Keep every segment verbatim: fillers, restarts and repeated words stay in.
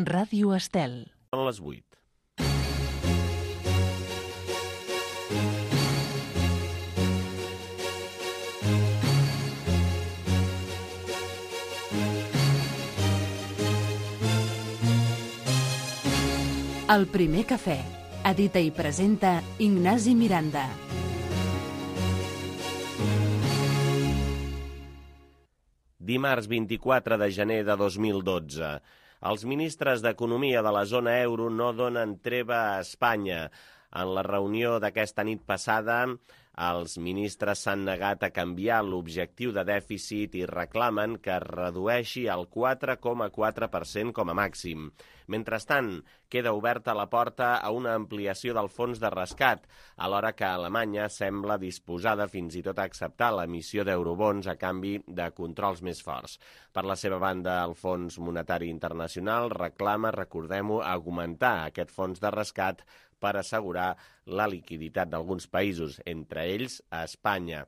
Ràdio Estel. Són les vuit. El primer cafè. Edita i presenta Ignasi Miranda. Dimarts vint-i-quatre de gener de dos mil dotze. Els ministres d'Economia de la zona euro no donen treva a Espanya. En la reunió d'aquesta nit passada, els ministres s'han negat a canviar l'objectiu de dèficit i reclamen que es redueixi al quatre coma quatre per cent com a màxim. Mentrestant, queda oberta la porta a una ampliació del fons de rescat, alhora que Alemanya sembla disposada fins i tot a acceptar l'emissió d'eurobons a canvi de controls més forts. Per la seva banda, el Fons Monetari Internacional reclama, recordem-ho, augmentar aquest fons de rescat per assegurar la liquiditat d'alguns països, entre ells a Espanya.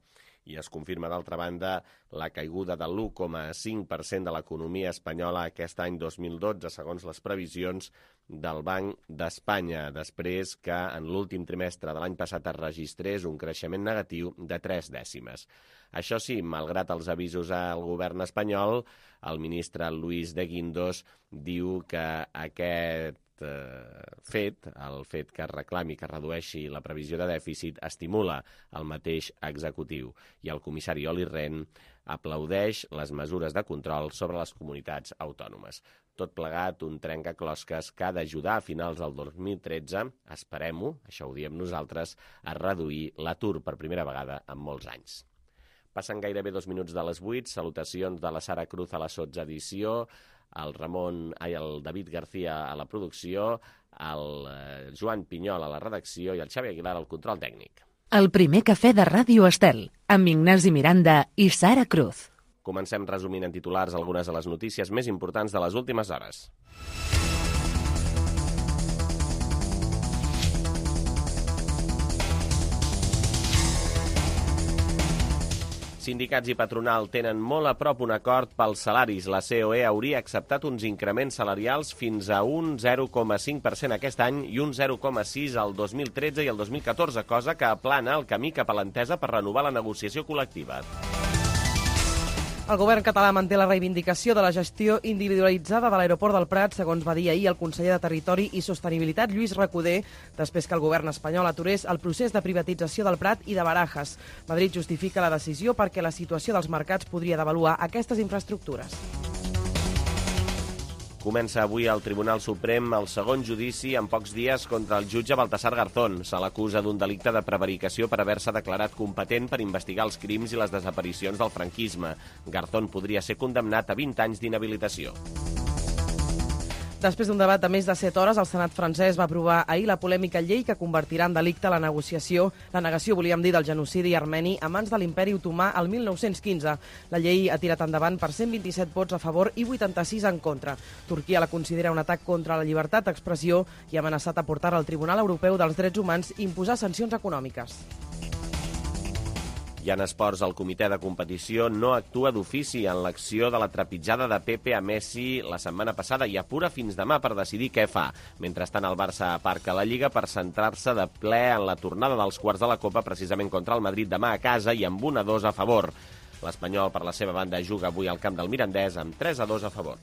I es confirma, d'altra banda, la caiguda de l'u coma cinc per cent de l'economia espanyola aquest any dos mil dotze, segons les previsions del Banc d'Espanya, després que en l'últim trimestre de l'any passat es registrés un creixement negatiu de tres dècimes. Això sí, malgrat els avisos al govern espanyol, el ministre Luis de Guindos diu que aquest fet, el fet que es reclami que es redueixi la previsió de dèficit, estimula el mateix executiu. I el comissari Olli Rehn aplaudeix les mesures de control sobre les comunitats autònomes. Tot plegat, un trencaclosques que ha d'ajudar a finals del dos mil tretze, esperem-ho, això ho diem nosaltres, a reduir l'atur per primera vegada en molts anys. Passen gairebé dos minuts de les vuit, salutacions de la Sara Cruz a la sotsedició, el Ramon, ai, el David García a la producció, el Joan Pinyol a la redacció i el Xavi Aguilar al control tècnic. El primer cafè de Ràdio Estel, amb Ignasi Miranda i Sara Cruz. Comencem resumint en titulars algunes de les notícies més importants de les últimes hores. Sindicats i patronal tenen molt a prop un acord pels salaris. La C O E hauria acceptat uns increments salarials fins a un zero coma cinc per cent aquest any i un zero coma sis al dos mil tretze i el dos mil catorze, cosa que aplana el camí cap a l'entesa per renovar la negociació col·lectiva. El govern català manté la reivindicació de la gestió individualitzada de l'aeroport del Prat, segons va dir ahir el conseller de Territori i Sostenibilitat, Lluís Recoder, després que el govern espanyol aturés el procés de privatització del Prat i de Barajas. Madrid justifica la decisió perquè la situació dels mercats podria devaluar aquestes infraestructures. Comença avui al Tribunal Suprem el segon judici en pocs dies contra el jutge Baltasar Garzón. Se l'acusa d'un delicte de prevaricació per haver-se declarat competent per investigar els crims i les desaparicions del franquisme. Garzón podria ser condemnat a vint anys d'inhabilitació. Després d'un debat de més de set hores, el Senat francès va aprovar ahir la polèmica llei que convertirà en delicte la negociació, la negació, volíem dir, del genocidi armeni a mans de l'imperi otomà el mil nou-cents quinze. La llei ha tirat endavant per cent vint-i-set vots a favor i vuitanta-sis en contra. Turquia la considera un atac contra la llibertat d'expressió i ha amenaçat a portar al Tribunal Europeu dels Drets Humans i imposar sancions econòmiques. I en esports, el comitè de competició no actua d'ofici en l'acció de la trepitjada de Pepe a Messi la setmana passada i apura fins demà per decidir què fa. Mentrestant, el Barça aparca la Lliga per centrar-se de ple en la tornada dels quarts de la Copa, precisament contra el Madrid demà a casa i amb un a dos a favor. L'Espanyol, per la seva banda, juga avui al camp del Mirandès amb tres a dos a favor.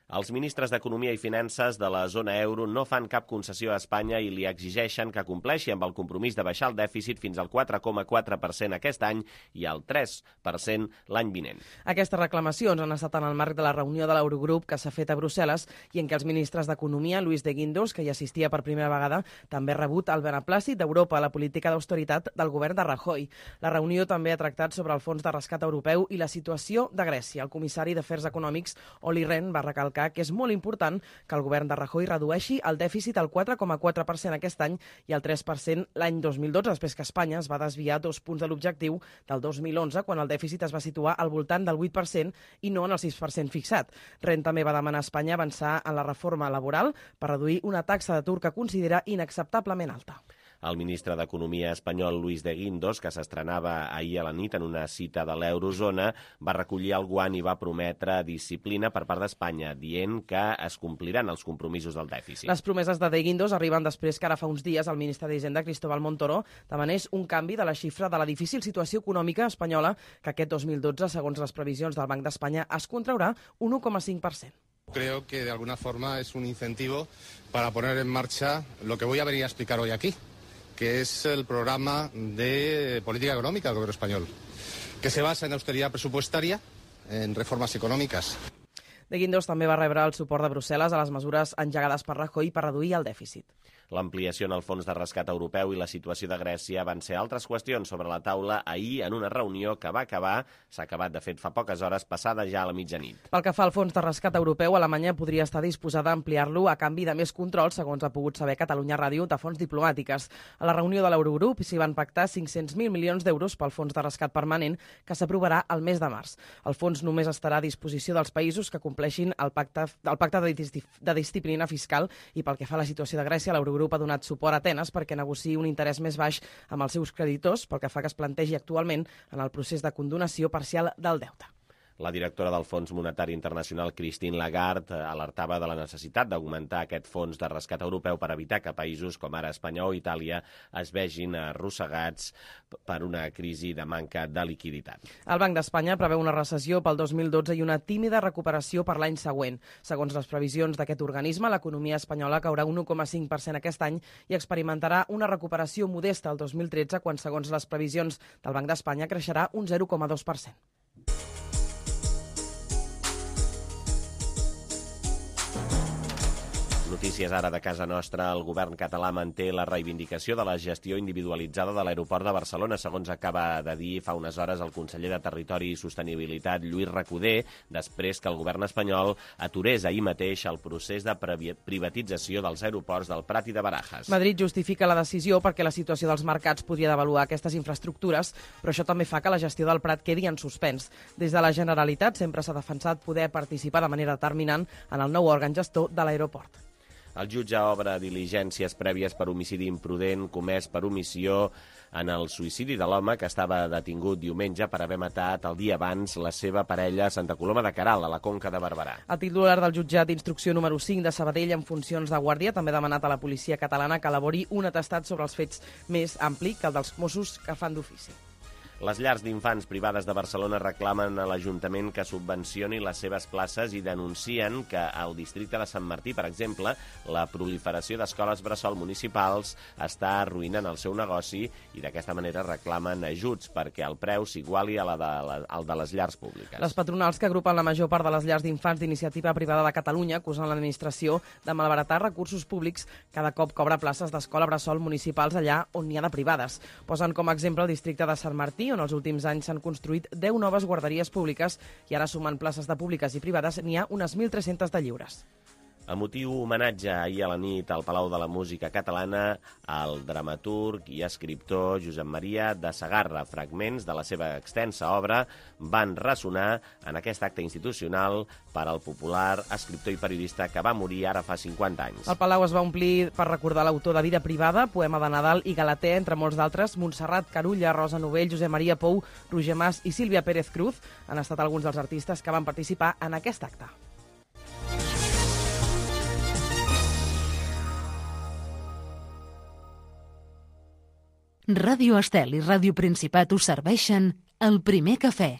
Els ministres d'Economia i Finances de la zona euro no fan cap concessió a Espanya i li exigeixen que compleixi amb el compromís de baixar el dèficit fins al quatre coma quatre per cent aquest any i al tres per cent l'any vinent. Aquestes reclamacions han estat en el marc de la reunió de l'Eurogrup que s'ha fet a Brussel·les i en què els ministres d'Economia, Luis de Guindos, que hi assistia per primera vegada, també ha rebut el beneplàcit d'Europa a la política d'austeritat del govern de Rajoy. La reunió també ha tractat sobre el fons de rescat europeu i la situació de Grècia. El comissari d'Afers Econòmics, Olli Rehn, va recalcar que és molt important que el govern de Rajoy redueixi el dèficit al quatre coma quatre per cent aquest any i al tres per cent l'any dos mil dotze, després que Espanya es va desviar dos punts de l'objectiu del dos mil onze, quan el dèficit es va situar al voltant del vuit per cent i no en el sis per cent fixat. Rehn també va demanar a Espanya avançar en la reforma laboral per reduir una taxa d'atur que considera inacceptablement alta. El ministre d'Economia espanyol, Luis de Guindos, que s'estrenava ahir a la nit en una cita de l'Eurozona, va recollir el guant i va prometre disciplina per part d'Espanya, dient que es compliran els compromisos del dèficit. Les promeses de De Guindos arriben després que ara fa uns dies el ministre d'Hisenda, Cristóbal Montoro, demanés un canvi de la xifra de la difícil situació econòmica espanyola que aquest dos mil dotze, segons les previsions del Banc d'Espanya, es contraurà un u coma cinc per cent. Creo que de alguna forma es un incentivo para poner en marcha lo que voy a venir a explicar hoy aquí, que es el programa de política económica del gobierno español, que se basa en austeridad presupuestaria, en reformas econòmiques. De Guindos també va rebre el suport de Brussel·les a les mesures engegades per Rajoy per reduir el dèficit. L'ampliació en el fons de rescat europeu i la situació de Grècia van ser altres qüestions sobre la taula ahir en una reunió que va acabar, s'ha acabat de fet fa poques hores, passada ja a la mitjanit. Pel que fa al fons de rescat europeu, Alemanya podria estar disposada a ampliar-lo a canvi de més control, segons ha pogut saber Catalunya Ràdio, de fons diplomàtiques. A la reunió de l'Eurogrup s'hi van pactar cinc-cents mil milions d'euros pel fons de rescat permanent que s'aprovarà el mes de març. El fons només estarà a disposició dels països que compleixin el pacte, el pacte de, de disciplina fiscal i pel que fa a la situació de Grècia, l'Eurogrup El grup ha donat suport a Atenes perquè negociï un interès més baix amb els seus creditors, pel que fa que es plantegi actualment en el procés de condonació parcial del deute. La directora del Fons Monetari Internacional, Christine Lagarde, alertava de la necessitat d'augmentar aquest fons de rescat europeu per evitar que països com ara Espanya o Itàlia es vegin arrossegats per una crisi de manca de liquiditat. El Banc d'Espanya preveu una recessió pel dos mil dotze i una tímida recuperació per l'any següent. Segons les previsions d'aquest organisme, l'economia espanyola caurà un u coma cinc per cent aquest any i experimentarà una recuperació modesta el dos mil tretze, quan, segons les previsions del Banc d'Espanya, creixerà un zero coma dos per cent. Notícies ara de casa nostra. El govern català manté la reivindicació de la gestió individualitzada de l'aeroport de Barcelona, segons acaba de dir fa unes hores el conseller de Territori i Sostenibilitat, Lluís Recoder, després que el govern espanyol aturés ahir mateix el procés de privatització dels aeroports del Prat i de Barajas. Madrid justifica la decisió perquè la situació dels mercats podria devaluar aquestes infraestructures, però això també fa que la gestió del Prat quedi en suspens. Des de la Generalitat sempre s'ha defensat poder participar de manera determinant en el nou òrgan gestor de l'aeroport. El jutge obre diligències prèvies per homicidi imprudent comès per omissió en el suïcidi de l'home que estava detingut diumenge per haver matat el dia abans la seva parella a Santa Coloma de Queralt, a la Conca de Barberà. El titular del jutjat d'instrucció número cinc de Sabadell, en funcions de guàrdia, també ha demanat a la policia catalana que elabori un atestat sobre els fets més ampli que el dels Mossos que fan d'ofici. Les llars d'infants privades de Barcelona reclamen a l'Ajuntament que subvencioni les seves places i denuncien que al districte de Sant Martí, per exemple, la proliferació d'escoles bressol municipals està arruïnant el seu negoci i d'aquesta manera reclamen ajuts perquè el preu s'iguali a la de la, al de les llars públiques. Les patronals que agrupen la major part de les llars d'infants d'iniciativa privada de Catalunya acusen l'administració de malbaratar recursos públics cada cop cobra places d'escola bressol municipals allà on n'hi ha de privades. Posen com a exemple el districte de Sant Martí, on els últims anys s'han construït deu noves guarderies públiques i ara, sumant places de públiques i privades, n'hi ha unes mil tres-centes de lliures. Emotiu homenatge ahir a la nit al Palau de la Música Catalana al dramaturg i escriptor Josep Maria de Segarra. Fragments de la seva extensa obra van ressonar en aquest acte institucional per al popular escriptor i periodista que va morir ara fa cinquanta anys. El Palau es va omplir per recordar l'autor de Vida privada, Poema de Nadal i Galatea, entre molts d'altres. Montserrat Carulla, Rosa Novell, Josep Maria Pou, Roger Mas i Sílvia Pérez Cruz han estat alguns dels artistes que van participar en aquest acte. Ràdio Estel i Ràdio Principat us serveixen el primer cafè.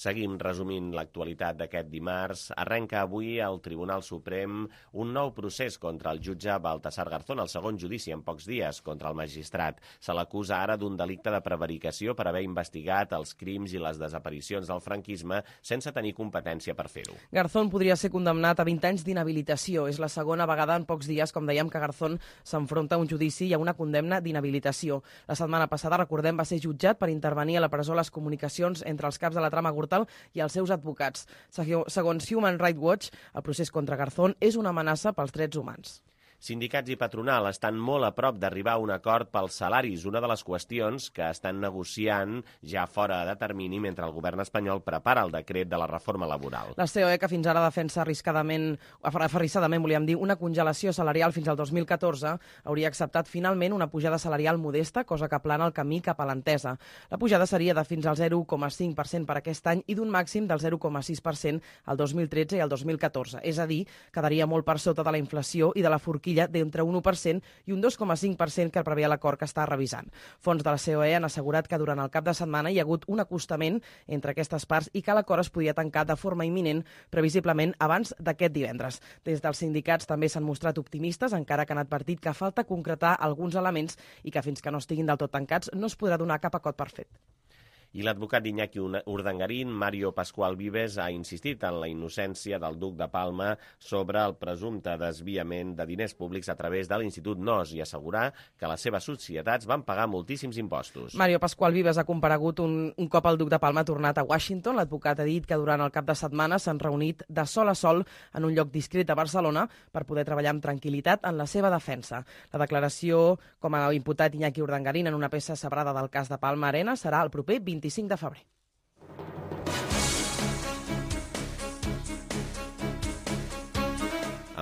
Seguim resumint l'actualitat d'aquest dimarts. Arrenca avui al Tribunal Suprem un nou procés contra el jutge Baltasar Garzón, el segon judici en pocs dies contra el magistrat. Se l'acusa ara d'un delicte de prevaricació per haver investigat els crims i les desaparicions del franquisme sense tenir competència per fer-ho. Garzón podria ser condemnat a vint anys d'inhabilitació. És la segona vegada en pocs dies, com dèiem, que Garzón s'enfronta a un judici i a una condemna d'inhabilitació. La setmana passada, recordem, va ser jutjat per intervenir a la presó les comunicacions entre els caps de la trama Gürtel i els seus advocats. Segons Human Rights Watch, el procés contra Garzón és una amenaça pels drets humans. Sindicats i patronal estan molt a prop d'arribar a un acord pels salaris, una de les qüestions que estan negociant ja fora de termini mentre el govern espanyol prepara el decret de la reforma laboral. La C O E, que fins ara defensa arriscadament, aferrissadament, volíem dir, una congelació salarial fins al dos mil catorze, hauria acceptat finalment una pujada salarial modesta, cosa que plana el camí cap a l'entesa. La pujada seria de fins al zero coma cinc per cent per aquest any i d'un màxim del zero coma sis per cent al dos mil tretze i al dos mil catorze. És a dir, quedaria molt per sota de la inflació i de la forquilla d'entre un u per cent i un dos coma cinc per cent que preveia l'acord que està revisant. Fons de la C O E han assegurat que durant el cap de setmana hi ha hagut un acostament entre aquestes parts i que l'acord es podia tancar de forma imminent, previsiblement abans d'aquest divendres. Des dels sindicats també s'han mostrat optimistes, encara que han advertit que falta concretar alguns elements i que fins que no estiguin del tot tancats no es podrà donar cap acord per fet. I l'advocat d'Iñaki Urdangarín, Mario Pascual Vives, ha insistit en la innocència del duc de Palma sobre el presumpte desviament de diners públics a través de l'Institut N O S i assegurar que les seves societats van pagar moltíssims impostos. Mario Pascual Vives ha comparegut un, un cop el duc de Palma ha tornat a Washington. L'advocat ha dit que durant el cap de setmana s'han reunit de sol a sol en un lloc discret a Barcelona per poder treballar amb tranquil·litat en la seva defensa. La declaració com a imputat Iñaki Urdangarín en una peça sabrada del cas de Palma Arena serà el proper vint-i-cinc de febrer.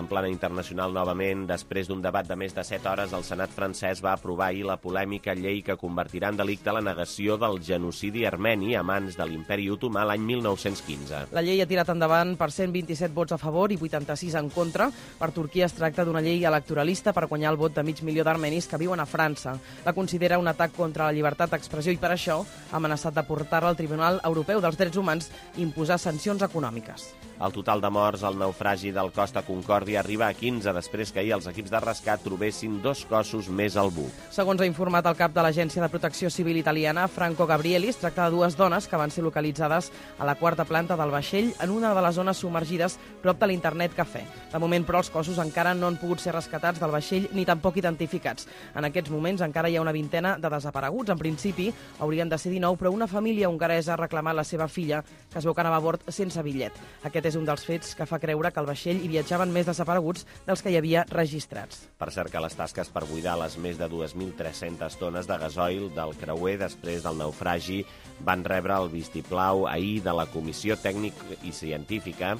En plana internacional, novament, després d'un debat de més de set hores, el Senat francès va aprovar ahir la polèmica llei que convertirà en delicte la negació del genocidi armeni a mans de l'Imperi Otomà l'any mil nou-cents quinze. La llei ha tirat endavant per cent vint-i-set vots a favor i vuitanta-sis en contra. Per Turquia es tracta d'una llei electoralista per guanyar el vot de mig milió d'armenis que viuen a França. La considera un atac contra la llibertat d'expressió i per això ha amenaçat de portar-la al Tribunal Europeu dels Drets Humans i imposar sancions econòmiques. El total de morts al naufragi del Costa Concòrdia arriba a quinze després que ahir els equips de rescat trobessin dos cossos més al buc. Segons ha informat el cap de l'Agència de Protecció Civil italiana, Franco Gabrielli, es tracta de dues dones que van ser localitzades a la quarta planta del vaixell en una de les zones submergides prop de l'Internet Cafè. De moment, però, els cossos encara no han pogut ser rescatats del vaixell ni tampoc identificats. En aquests moments encara hi ha una vintena de desapareguts. En principi haurien de ser dinou, però una família hongaresa ha reclamat la seva filla, que es veu que anava a bord sense bitllet. Aquest és un dels fets que fa creure que al vaixell hi viatjaven més desapareguts dels que hi havia registrats. Per cert, que les tasques per buidar les més de dues mil tres-centes tones de gasoil del creuer després del naufragi van rebre el vistiplau ahir de la Comissió Tècnica i Científica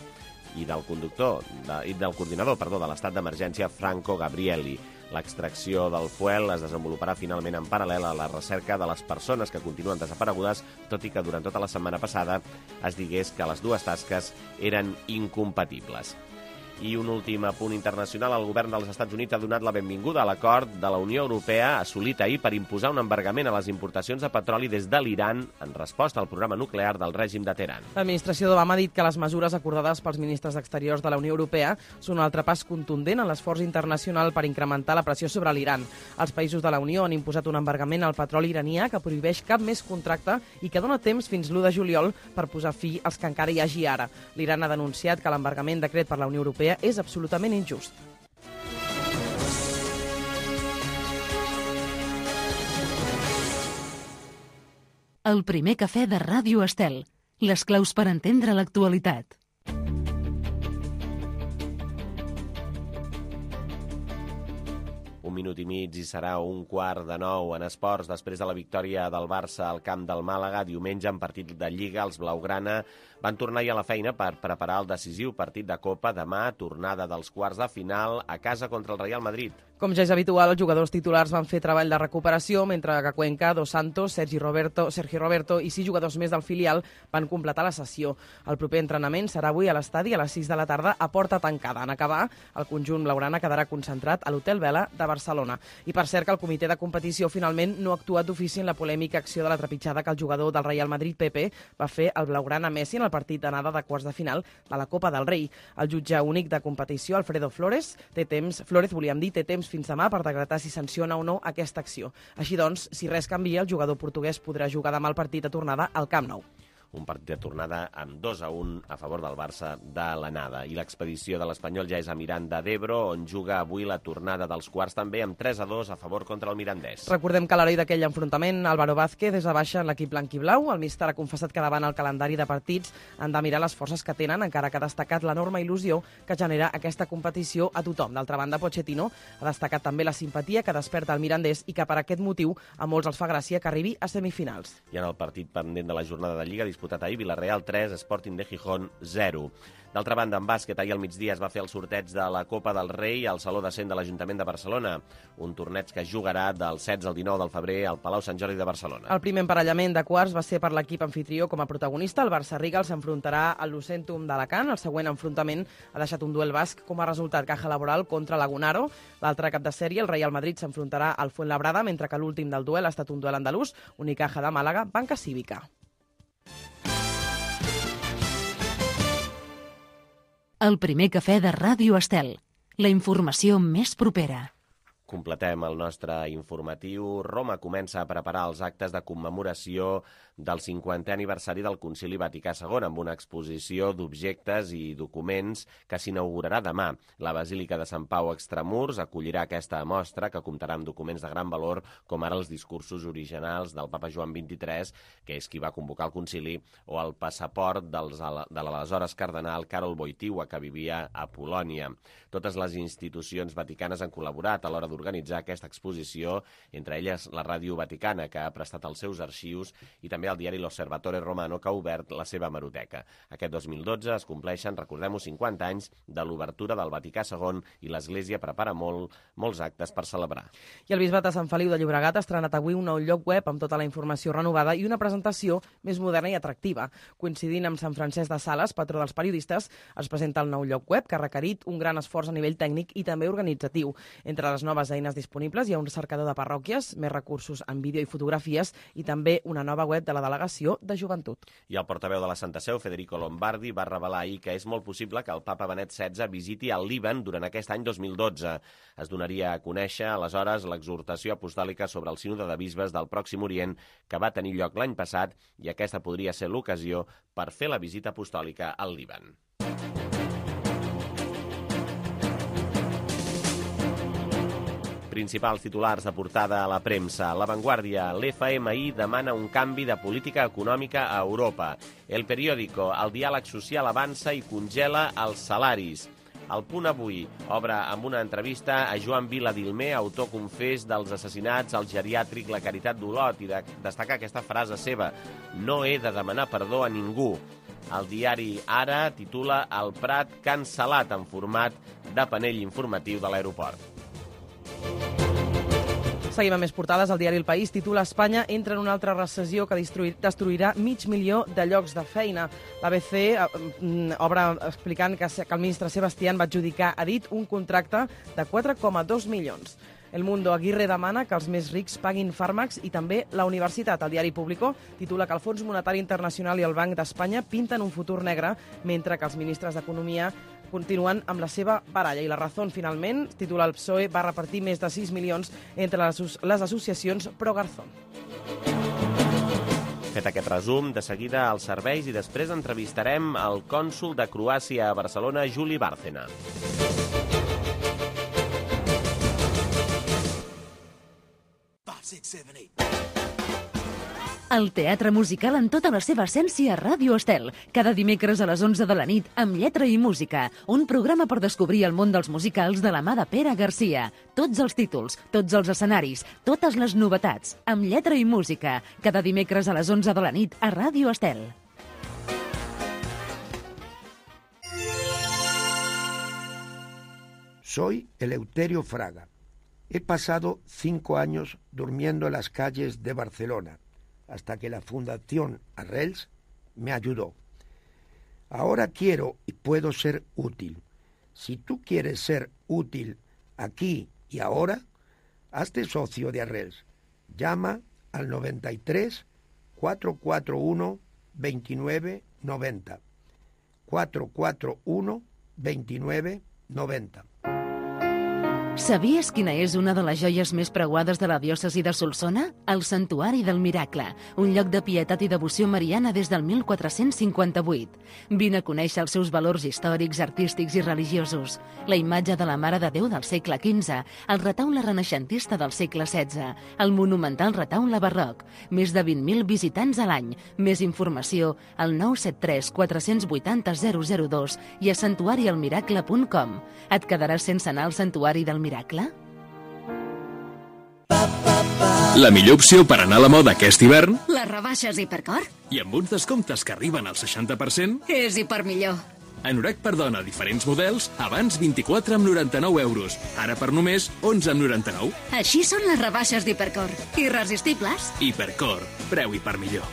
i del conductor de, i del coordinador perdó, de l'estat d'emergència Franco Gabrielli. L'extracció del fuel es desenvoluparà finalment en paral·lel a la recerca de les persones que continuen desaparegudes, tot i que durant tota la setmana passada es digués que les dues tasques eren incompatibles. I un últim punt internacional. El govern dels Estats Units ha donat la benvinguda a l'acord de la Unió Europea assolit ahir per imposar un embargament a les importacions de petroli des de l'Iran en resposta al programa nuclear del règim de Teheran. L'administració d'Obama ha dit que les mesures acordades pels ministres d'Exteriors de la Unió Europea són un altre pas contundent en l'esforç internacional per incrementar la pressió sobre l'Iran. Els països de la Unió han imposat un embargament al petroli iranià que prohibeix cap més contracte i que dona temps fins l'u de juliol per posar fi als que encara hi hagi ara. L'Iran ha denunciat que l'embargament decret per la Unió Europea és absolutament injust. El primer cafè de Ràdio Estel. Les claus per entendre l'actualitat. Un minut i mig i serà un quart de nou en esports. Després de la victòria del Barça al camp del Màlaga, diumenge en partit de Lliga, els blaugrana van tornar ja a la feina per preparar el decisiu partit de Copa demà, tornada dels quarts de final a casa contra el Real Madrid. Com ja és habitual, els jugadors titulars van fer treball de recuperació, mentre que Cuenca, Dos Santos, Sergi Roberto, Sergi Roberto i sis jugadors més del filial van completar la sessió. El proper entrenament serà avui a l'estadi a les sis de la tarda a porta tancada. En acabar, el conjunt blaugrana quedarà concentrat a l'Hotel Vela de Barcelona. I per cert que el comitè de competició finalment no ha actuat d'ofici en la polèmica acció de la trepitjada que el jugador del Real Madrid, Pepe, va fer al blaugrana Messi en el partit d'anada de quarts de final de la Copa del Rei. El jutge únic de competició, Alfredo Flores, té temps, Flores, volíem dir, té temps fins demà per decretar si sanciona o no aquesta acció. Així doncs, si res canvia, el jugador portuguès podrà jugar demà el partit a tornada al Camp Nou. un partit de tornada amb dos a un a favor del Barça de l'anada. I l'expedició de l'Espanyol ja és a Miranda d'Ebro, on juga avui la tornada dels quarts també amb tres a dos a favor contra el Mirandès. Recordem que a l'heroi d'aquell enfrontament, Álvaro Vázquez és a baixa en l'equip blanquiblau. El míster ha confessat que davant el calendari de partits han de mirar les forces que tenen, encara que ha destacat l'enorme il·lusió que genera aquesta competició a tothom. D'altra banda, Pochettino ha destacat també la simpatia que desperta el Mirandès i que per aquest motiu a molts els fa gràcia que arribi a semifinals. I en el partit pendent de la jornada de Lliga disputat ahir, Villarreal tres, Sporting de Gijón zero. D'altra banda, en bàsquet, ahir al migdia es va fer el sorteig de la Copa del Rei al Saló de Cent de l'Ajuntament de Barcelona, un torneig que jugarà del setze al dinou del febrer al Palau Sant Jordi de Barcelona. El primer emparellament de quarts va ser per l'equip anfitrió com a protagonista. El Barça Rigal s'enfrontarà al Lucentum d'Alacant. El següent enfrontament ha deixat un duel basc com a resultat, Caja Laboral contra Lagunaro. L'altre cap de sèrie, el Real Madrid, s'enfrontarà al Fuenlabrada, mentre que l'últim del duel ha estat un duel andalús, Unicaja de Màlaga, Banca Cívica. El primer cafè de Ràdio Estel. La informació més propera. Completem el nostre informatiu. Roma comença a preparar els actes de commemoració del cinquantè aniversari del Concili Vaticà segon, amb una exposició d'objectes i documents que s'inaugurarà demà. La Basílica de Sant Pau Extramurs acollirà aquesta mostra, que comptarà amb documents de gran valor, com ara els discursos originals del papa Joan vint-i-tres, que és qui va convocar el concili, o el passaport dels, de l'aleshores cardenal Karol Wojtyła, que vivia a Polònia. Totes les institucions vaticanes han col·laborat a l'hora d'organitzar aquesta exposició, entre elles la Ràdio Vaticana, que ha prestat els seus arxius, i també el diari L'Osservatore Romano, que ha obert la seva hemeroteca. Aquest dos mil dotze es compleixen, recordem-ho, cinquanta anys de l'obertura del Vaticà segon i l'Església prepara molt, molts actes per celebrar. I el Bisbat de Sant Feliu de Llobregat ha estrenat avui un nou lloc web amb tota la informació renovada i una presentació més moderna i atractiva. Coincidint amb Sant Francesc de Sales, patró dels periodistes, es presenta el nou lloc web, que ha requerit un gran esforç a nivell tècnic i també organitzatiu. Entre les noves eines disponibles hi ha un cercador de parròquies, més recursos en vídeo i fotografies i també una nova web de la Delegació de Joventut. I el portaveu de la Santa Seu, Federico Lombardi, va revelar ahir que és molt possible que el papa Benet setze visiti el Líban durant aquest any dos mil dotze. Es donaria a conèixer, aleshores, l'exhortació apostòlica sobre el sínode de bisbes del Pròxim Orient, que va tenir lloc l'any passat, i aquesta podria ser l'ocasió per fer la visita apostòlica al Líban. Principals titulars de portada a la premsa. La Vanguardia. L'F M I demana un canvi de política econòmica a Europa. El Periódico. El diàleg social avança i congela els salaris. El Punt Avui obre amb una entrevista a Joan Viladilmer, autor confés dels assassinats al geriàtric La Caritat d'Olot, i de destacar aquesta frase seva: no he de demanar perdó a ningú. El diari Ara titula El Prat cancel·lat en format de panell informatiu de l'aeroport. Seguim amb més portades. El diari El País titula Espanya entra en una altra recessió que destruirà mig milió de llocs de feina. L'A B C eh, obre explicant que, que el ministre Sebastián va adjudicar a dit un contracte de quatre coma dos milions. El Mundo. Aguirre demana que els més rics paguin fàrmacs i també la universitat. El diari Público titula que el Fons Monetari Internacional i el Banc d'Espanya pinten un futur negre, mentre que els ministres d'Economia continuen amb la seva baralla. I La Razón, finalment, titula el P S O E va repartir més de sis milions entre les, les associacions pro-Garzón. Fet aquest resum, de seguida als serveis i després entrevistarem el cònsol de Croàcia a Barcelona, Juli Bárcena. El teatre musical en tota la seva essència a Ràdio Estel. Cada dimecres a les onze de la nit, amb lletra i música. Un programa per descobrir el món dels musicals de la mà de Pere Garcia. Tots els títols, tots els escenaris, totes les novetats. Amb lletra i música. Cada dimecres a les onze de la nit a Ràdio Estel. Soy Eleuterio Fraga. He pasado cinco años durmiendo en las calles de Barcelona, hasta que la Fundación Arrels me ayudó. Ahora quiero y puedo ser útil. Si tú quieres ser útil aquí y ahora, hazte socio de Arrels. Llama al noventa y tres, cuatrocientos cuarenta y uno, veintinueve noventa. cuatrocientos cuarenta y uno, veintinueve noventa. Sabies quina és una de les joies més preuades de la diòcesi de Solsona? El Santuari del Miracle, un lloc de pietat i devoció mariana des del mil quatre-cents cinquanta-vuit. Vine a conèixer els seus valors històrics, artístics i religiosos. La imatge de la Mare de Déu del segle quinze, el retaule renaixentista del segle setze, el monumental retaule barroc, més de vint mil visitants a l'any. Més informació al nou set tres quatre vuit zero zero zero dos i a santuari el miracle punt com. Et quedaràs sense anar al Santuari del Miracle? La millor opció per anar a la moda aquest hivern? Les rebaixes Hipercor? I amb uns descomptes que arriben al seixanta per cent? És Hipermillor. Anorac per dona, diferents models, abans vint-i-quatre amb noranta-nou euros. Ara per només onze amb noranta-nou. Així són les rebaixes d'Hipercor. Irresistibles. Hipercor, preu Hipermillor.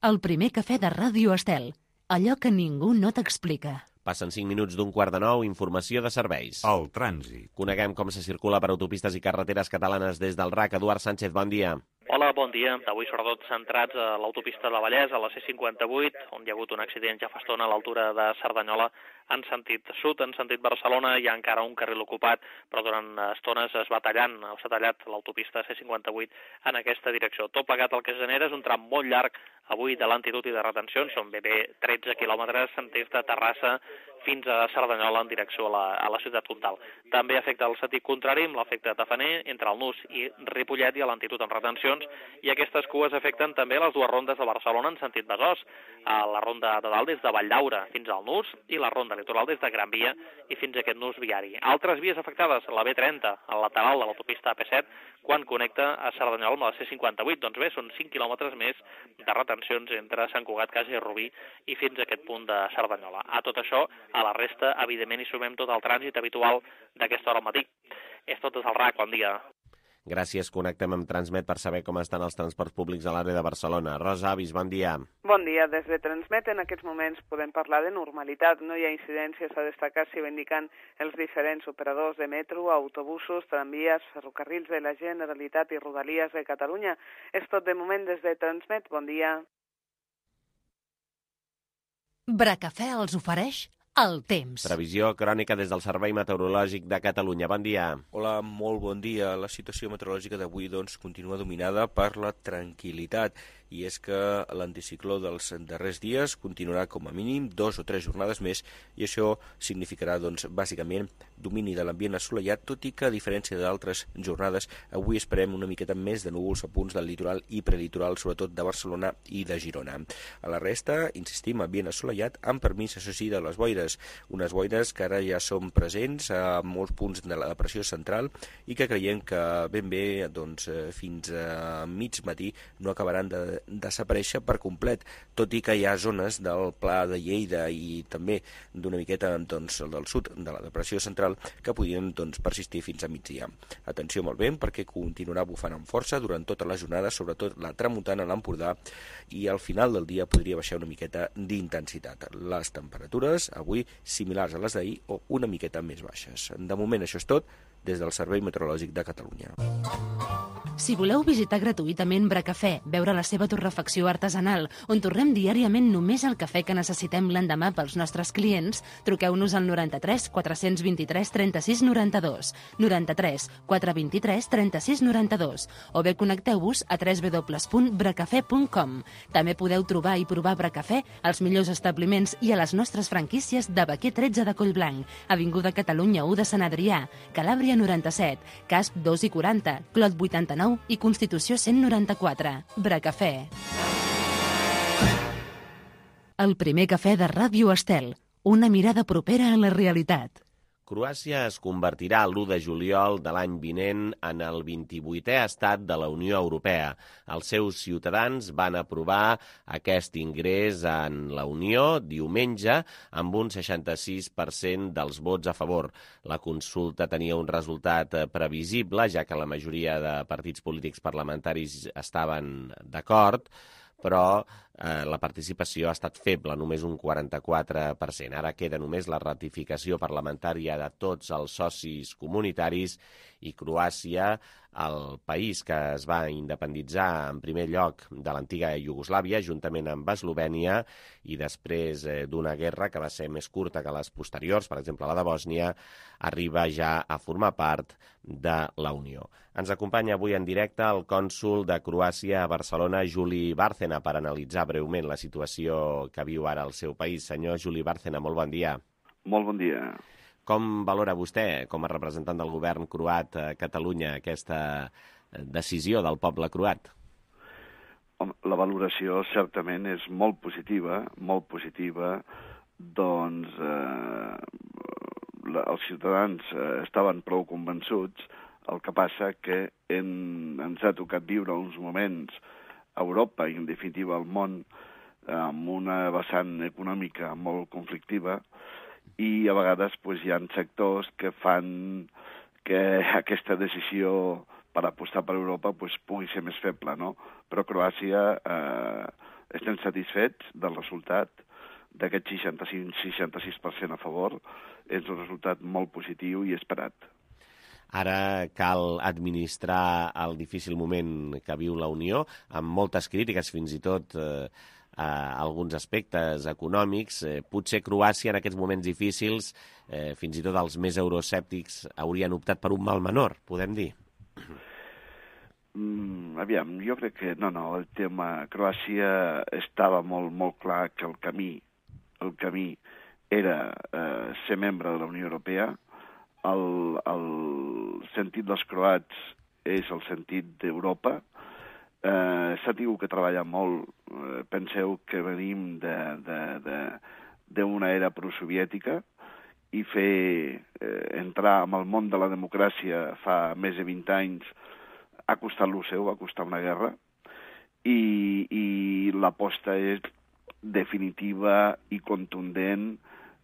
El primer cafè de Ràdio Estel. Allò que ningú no t'explica. Passen cinc minuts d'un quart de nou, informació de serveis. El trànsit. Coneguem com se circula per autopistes i carreteres catalanes des del R A C. Eduard Sánchez, bon dia. Hola, bon dia. Avui sobretot centrats a l'autopista de Vallès, a la C cinquanta-vuit, on hi ha hagut un accident ja fa estona a l'altura de Cerdanyola, en sentit sud, en sentit Barcelona. Hi ha encara un carril ocupat, però durant estones es va tallant, s'ha tallat l'autopista C cinquanta-vuit en aquesta direcció. Tot plegat el que es genera és un tram molt llarg avui de lentitud i de retencions, són ben bé tretze quilòmetres des de Terrassa fins a Cerdanyola en direcció a la, a la ciutat comtal. També afecta el sentit contrari amb l'efecte tafaner entre el Nus i Ripollet i a lentitud amb retencions, i aquestes cues afecten també les dues rondes de Barcelona en sentit Besòs, a la ronda de dalt des de Valldaura fins al Nus i la ronda litoral des de Gran Via i fins a aquest nus viari. Altres vies afectades, la B trenta, al lateral de l'autopista A P set, quan connecta a Cerdanyola amb la C cinquanta-vuit. Doncs bé, són cinc quilòmetres més de retencions entre Sant Cugat, Casa i Rubí i fins a aquest punt de Cerdanyola. A tot això, a la resta, evidentment, hi sumem tot el trànsit habitual d'aquesta hora al matí. És tot des del R A C, bon dia. Gràcies, connectem amb Transmet per saber com estan els transports públics a l'àrea de Barcelona. Rosa Avis, bon dia. Bon dia. Des de Transmet en aquests moments podem parlar de normalitat. No hi ha incidències a destacar, si ho indiquen els diferents operadors de metro, autobusos, tramvies, ferrocarrils de la Generalitat i Rodalies de Catalunya. És tot de moment des de Transmet. Bon dia. Bracafè els ofereix el temps. Previsió crònica des del Servei Meteorològic de Catalunya. Bon dia. Hola, molt bon dia. La situació meteorològica d'avui doncs, continua dominada per la tranquil·litat, i és que l'anticicló dels darrers dies continuarà com a mínim dos o tres jornades més, i això significarà doncs, bàsicament domini de l'ambient assolellat, tot i que a diferència d'altres jornades, avui esperem una miqueta més de núvols a punts del litoral i prelitoral, sobretot de Barcelona i de Girona. A la resta, insistim, ambient assolellat, amb permís, això sí, de les boires. Unes boires que ara ja són presents a molts punts de la depressió central i que creiem que ben bé doncs, fins a mig matí no acabaran de desaparèixer per complet, tot i que hi ha zones del Pla de Lleida i també d'una miqueta doncs, del sud de la depressió central que podrien doncs, persistir fins a migdia. Atenció molt vent, perquè continuarà bufant amb força durant tota la jornada, sobretot la tramuntana a l'Empordà, i al final del dia podria baixar una miqueta d'intensitat. Les temperatures avui similars a les d'ahir o una miqueta més baixes. De moment això és tot des del Servei Meteorològic de Catalunya. Si voleu visitar gratuïtament Bracafè, veure la seva torrefacció artesanal, on torrem diàriament només el cafè que necessitem l'endemà pels nostres clients, truqueu-nos al noranta-tres quatre vint tres trenta-sis noranta-dos, noranta-tres quatre vint tres trenta-sis noranta-dos, o bé connecteu-vos a w w w punt bracafè punt com. També podeu trobar i provar Bracafè als millors establiments i a les nostres franquícies de Baquer tretze de Collblanc, Avinguda Catalunya u de Sant Adrià, Calàbria noranta-set, Casp dos i quaranta, Clot vuitanta-nou i Constitució cent noranta-quatre. Bracafè. El primer cafè de Ràdio Estel. Una mirada propera a la realitat. Croàcia es convertirà l'u de juliol de l'any vinent en el vint-i-vuitè estat de la Unió Europea. Els seus ciutadans van aprovar aquest ingrés en la Unió diumenge amb un seixanta-sis per cent dels vots a favor. La consulta tenia un resultat previsible, ja que la majoria de partits polítics parlamentaris estaven d'acord, però eh, la participació ha estat feble, només un quaranta-quatre per cent. Ara queda només la ratificació parlamentària de tots els socis comunitaris i Croàcia, el país que es va independitzar en primer lloc de l'antiga Iugoslàvia, juntament amb Eslovènia, i després eh, d'una guerra que va ser més curta que les posteriors, per exemple la de Bòsnia, arriba ja a formar part de la Unió. Ens acompanya avui en directe el cònsol de Croàcia a Barcelona, Juli Bárcena, per analitzar breument la situació que viu ara el seu país. Senyor Juli Bárcena, molt bon dia. Molt bon dia. Com valora vostè, com a representant del govern croat a Catalunya, aquesta decisió del poble croat? La valoració certament és molt positiva, molt positiva, doncs eh, els ciutadans eh, estaven prou convençuts, el que passa que en, ens ha tocat viure uns moments a Europa i en definitiva al món amb una vessant econòmica molt conflictiva, i a vegades pues, hi ha sectors que fan que aquesta decisió per apostar per Europa pues, pugui ser més feble, no? Però Croàcia eh, estem satisfets del resultat d'aquest seixanta-cinc seixanta-sis per cent a favor. És un resultat molt positiu i esperat. Ara cal administrar el difícil moment que viu la Unió, amb moltes crítiques, fins i tot eh, a alguns aspectes econòmics. Eh, potser Croàcia en aquests moments difícils, eh, fins i tot els més euroscèptics, haurien optat per un mal menor, podem dir? Mm, aviam, jo crec que no, no, el tema Croàcia estava molt, molt clar que el camí, el camí era eh, ser membre de la Unió Europea. El, el sentit dels croats és el sentit d'Europa. Eh, S'ha tingut que treballar molt. Eh, penseu que venim d'una era prosoviètica i fer eh, entrar en el món de la democràcia fa més de vint anys ha costat lo seu, ha costat una guerra, i, i l'aposta és definitiva i contundent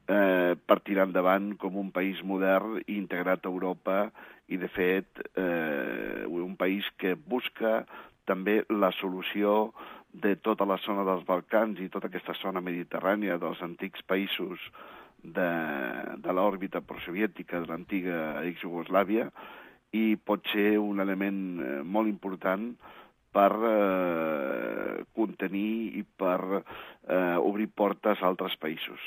eh, per tirar endavant com un país modern i integrat a Europa i, de fet, eh, un país que busca també la solució de tota la zona dels Balcans i tota aquesta zona mediterrània dels antics països de, de l'òrbita prosoviètica de l'antiga ex-Jugoslàvia, i pot ser un element eh, molt important per eh, contenir i per eh, obrir portes a altres països.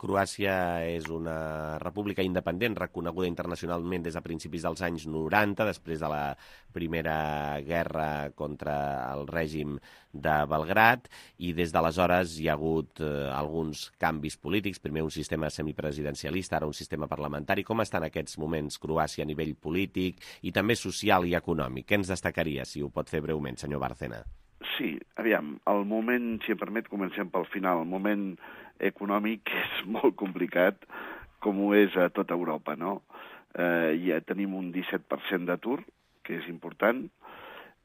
Croàcia és una república independent reconeguda internacionalment des de principis dels anys noranta, després de la Primera Guerra contra el règim de Belgrad, i des d'aleshores hi ha hagut eh, alguns canvis polítics, primer un sistema semipresidencialista, ara un sistema parlamentari. Com està en aquests moments Croàcia a nivell polític i també social i econòmic? Què ens destacaria, si ho pot fer breument, senyor Bárcena? Sí, aviam, el moment, si em permet, comencem pel final. El moment econòmic és molt complicat, com ho és a tota Europa, no? Eh, ja tenim un disset per cent d'atur, que és important,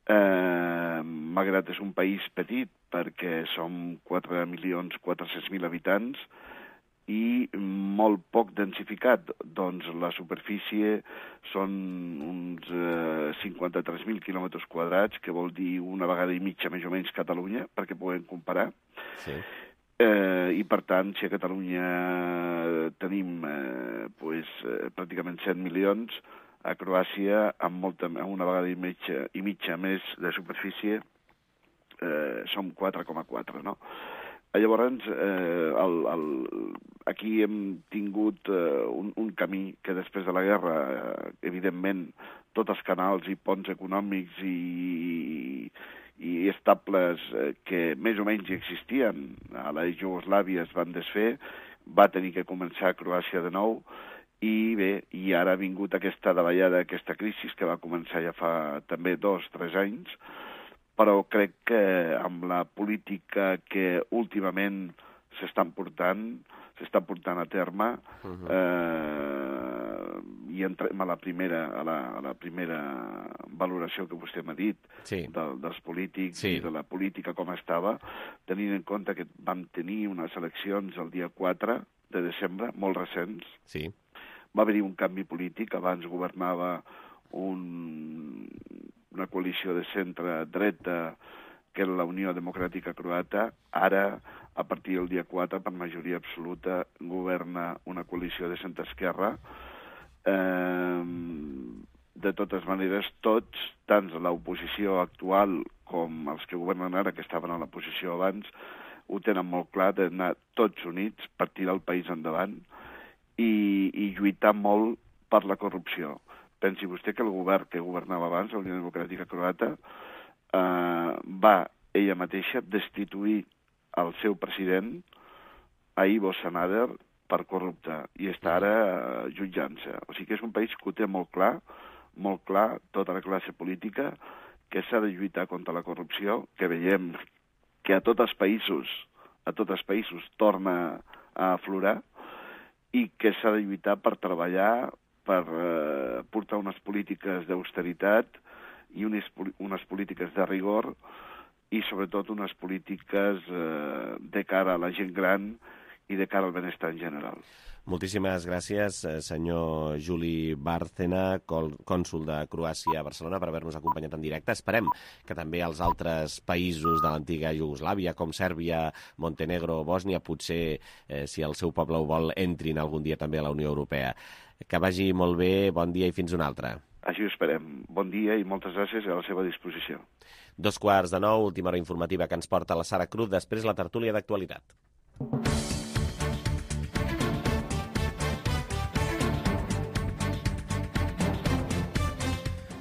eh, malgrat és un país petit, perquè som quatre milions quatre-cents mil habitants, i molt poc densificat. Doncs la superfície són uns eh, cinquanta-tres mil quilòmetres quadrats, que vol dir una vegada i mitja més o menys Catalunya, perquè puguem comparar. Sí. Eh, I, per tant, si a Catalunya tenim eh, pues, eh, pràcticament set milions, a Croàcia, amb, molta, amb una vegada i mitja, i mitja més de superfície, eh, som quatre coma quatre, no? Llavors, eh, el, el, aquí hem tingut eh, un, un camí que després de la guerra, eh, evidentment, tots els canals i ponts econòmics i, i estables eh, que més o menys existien a la Jugoslàvia es van desfer, va tenir que començar a Croàcia de nou, i bé, i ara ha vingut aquesta davallada, aquesta crisi que va començar ja fa també dos, tres anys, però crec que amb la política que últimament s'estan portant, s'està portant a terme, uh-huh. eh, i entrem a la primera, a la, a la primera valoració que vostè m'ha dit, sí. de, dels polítics sí. i de la política com estava, tenint en compte que vam tenir unes eleccions el dia quatre de desembre, molt recents. Sí. Va haver-hi un canvi polític, abans governava un... una coalició de centre-dreta que la Unió Democràtica Croata ara, a partir del dia quatre, per majoria absoluta, governa una coalició de centre-esquerra. Eh, de totes maneres, tots, tant l'oposició actual com els que governen ara, que estaven a la posició abans, ho tenen molt clar d'anar tots units per tirar el país endavant i, i lluitar molt per la corrupció. Pensi vostè que el govern que governava abans, la Unió Democràtica Croata, eh, va ella mateixa destituir el seu president, a Ivo Sanader, per corrupte, i està ara eh, jutjant-se. O sigui que és un país que ho té molt clar, molt clar, tota la classe política, que s'ha de lluitar contra la corrupció, que veiem que a tots els països, a tots els països torna a aflorar, i que s'ha de lluitar per treballar, per eh, portar unes polítiques d'austeritat i unes, unes polítiques de rigor i sobretot unes polítiques eh, de cara a la gent gran i de cara al benestar en general. Moltíssimes gràcies, senyor Juli Bárcena, cònsol de Croàcia a Barcelona, per haver-nos acompanyat en directe. Esperem que també els altres països de l'antiga Iugoslàvia, com Sèrbia, Montenegro o Bòsnia, potser, eh, si el seu poble ho vol, entrin algun dia també a la Unió Europea. Que vagi molt bé, bon dia i fins una altra. Així ho esperem. Bon dia i moltes gràcies, a la seva disposició. Dos quarts de nou, última hora informativa que ens porta la Sara Cruz, després la tertúlia d'actualitat.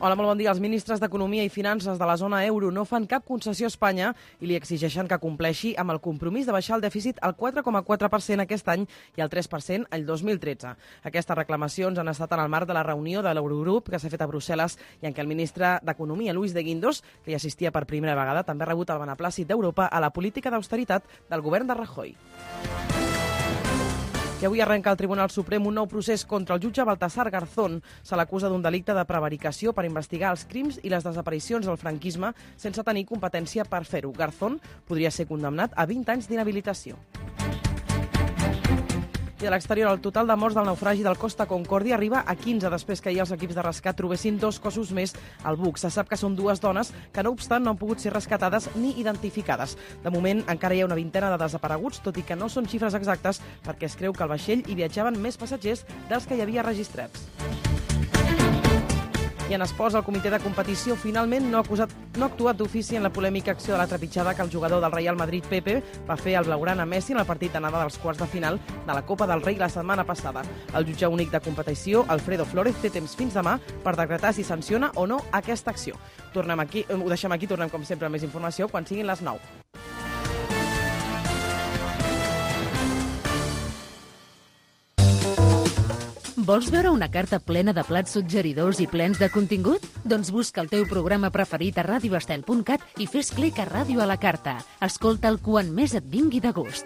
Hola, molt bon dia. Els ministres d'Economia i Finances de la zona euro no fan cap concessió a Espanya i li exigeixen que compleixi amb el compromís de baixar el dèficit al quatre coma quatre per cent aquest any i al tres per cent el dos mil tretze. Aquestes reclamacions han estat en el marc de la reunió de l'Eurogrup que s'ha fet a Brussel·les i en què el ministre d'Economia, Luis de Guindos, que hi assistia per primera vegada, també ha rebut el beneplàcit d'Europa a la política d'austeritat del govern de Rajoy. I avui arrenca al Tribunal Suprem un nou procés contra el jutge Baltasar Garzón. Se l'acusa d'un delicte de prevaricació per investigar els crims i les desaparicions del franquisme sense tenir competència per fer-ho. Garzón podria ser condemnat a vint anys d'inhabilitació. I a l'exterior, el total de morts del naufragi del Costa Concòrdia arriba a quinze després que ahir els equips de rescat trobessin dos cossos més al buc. Se sap que són dues dones que, no obstant, no han pogut ser rescatades ni identificades. De moment, encara hi ha una vintena de desapareguts, tot i que no són xifres exactes perquè es creu que al vaixell hi viatjaven més passatgers dels que hi havia registrats. I en esports, el comitè de competició finalment no ha, acusat, no ha actuat d'ofici en la polèmica acció de la trepitjada que el jugador del Real Madrid, Pepe, va fer al blaugrana Messi en el partit d'anada dels quarts de final de la Copa del Rei la setmana passada. El jutge únic de competició, Alfredo Flórez, té temps fins demà per decretar si sanciona o no aquesta acció. Tornem aquí, ho deixem aquí, tornem com sempre amb més informació quan siguin les nou. Vols veure una carta plena de plats suggeridors i plens de contingut? Doncs busca el teu programa preferit a radio estel punt cat i fes clic a Ràdio a la carta. Escolta'l quan més et vingui de gust.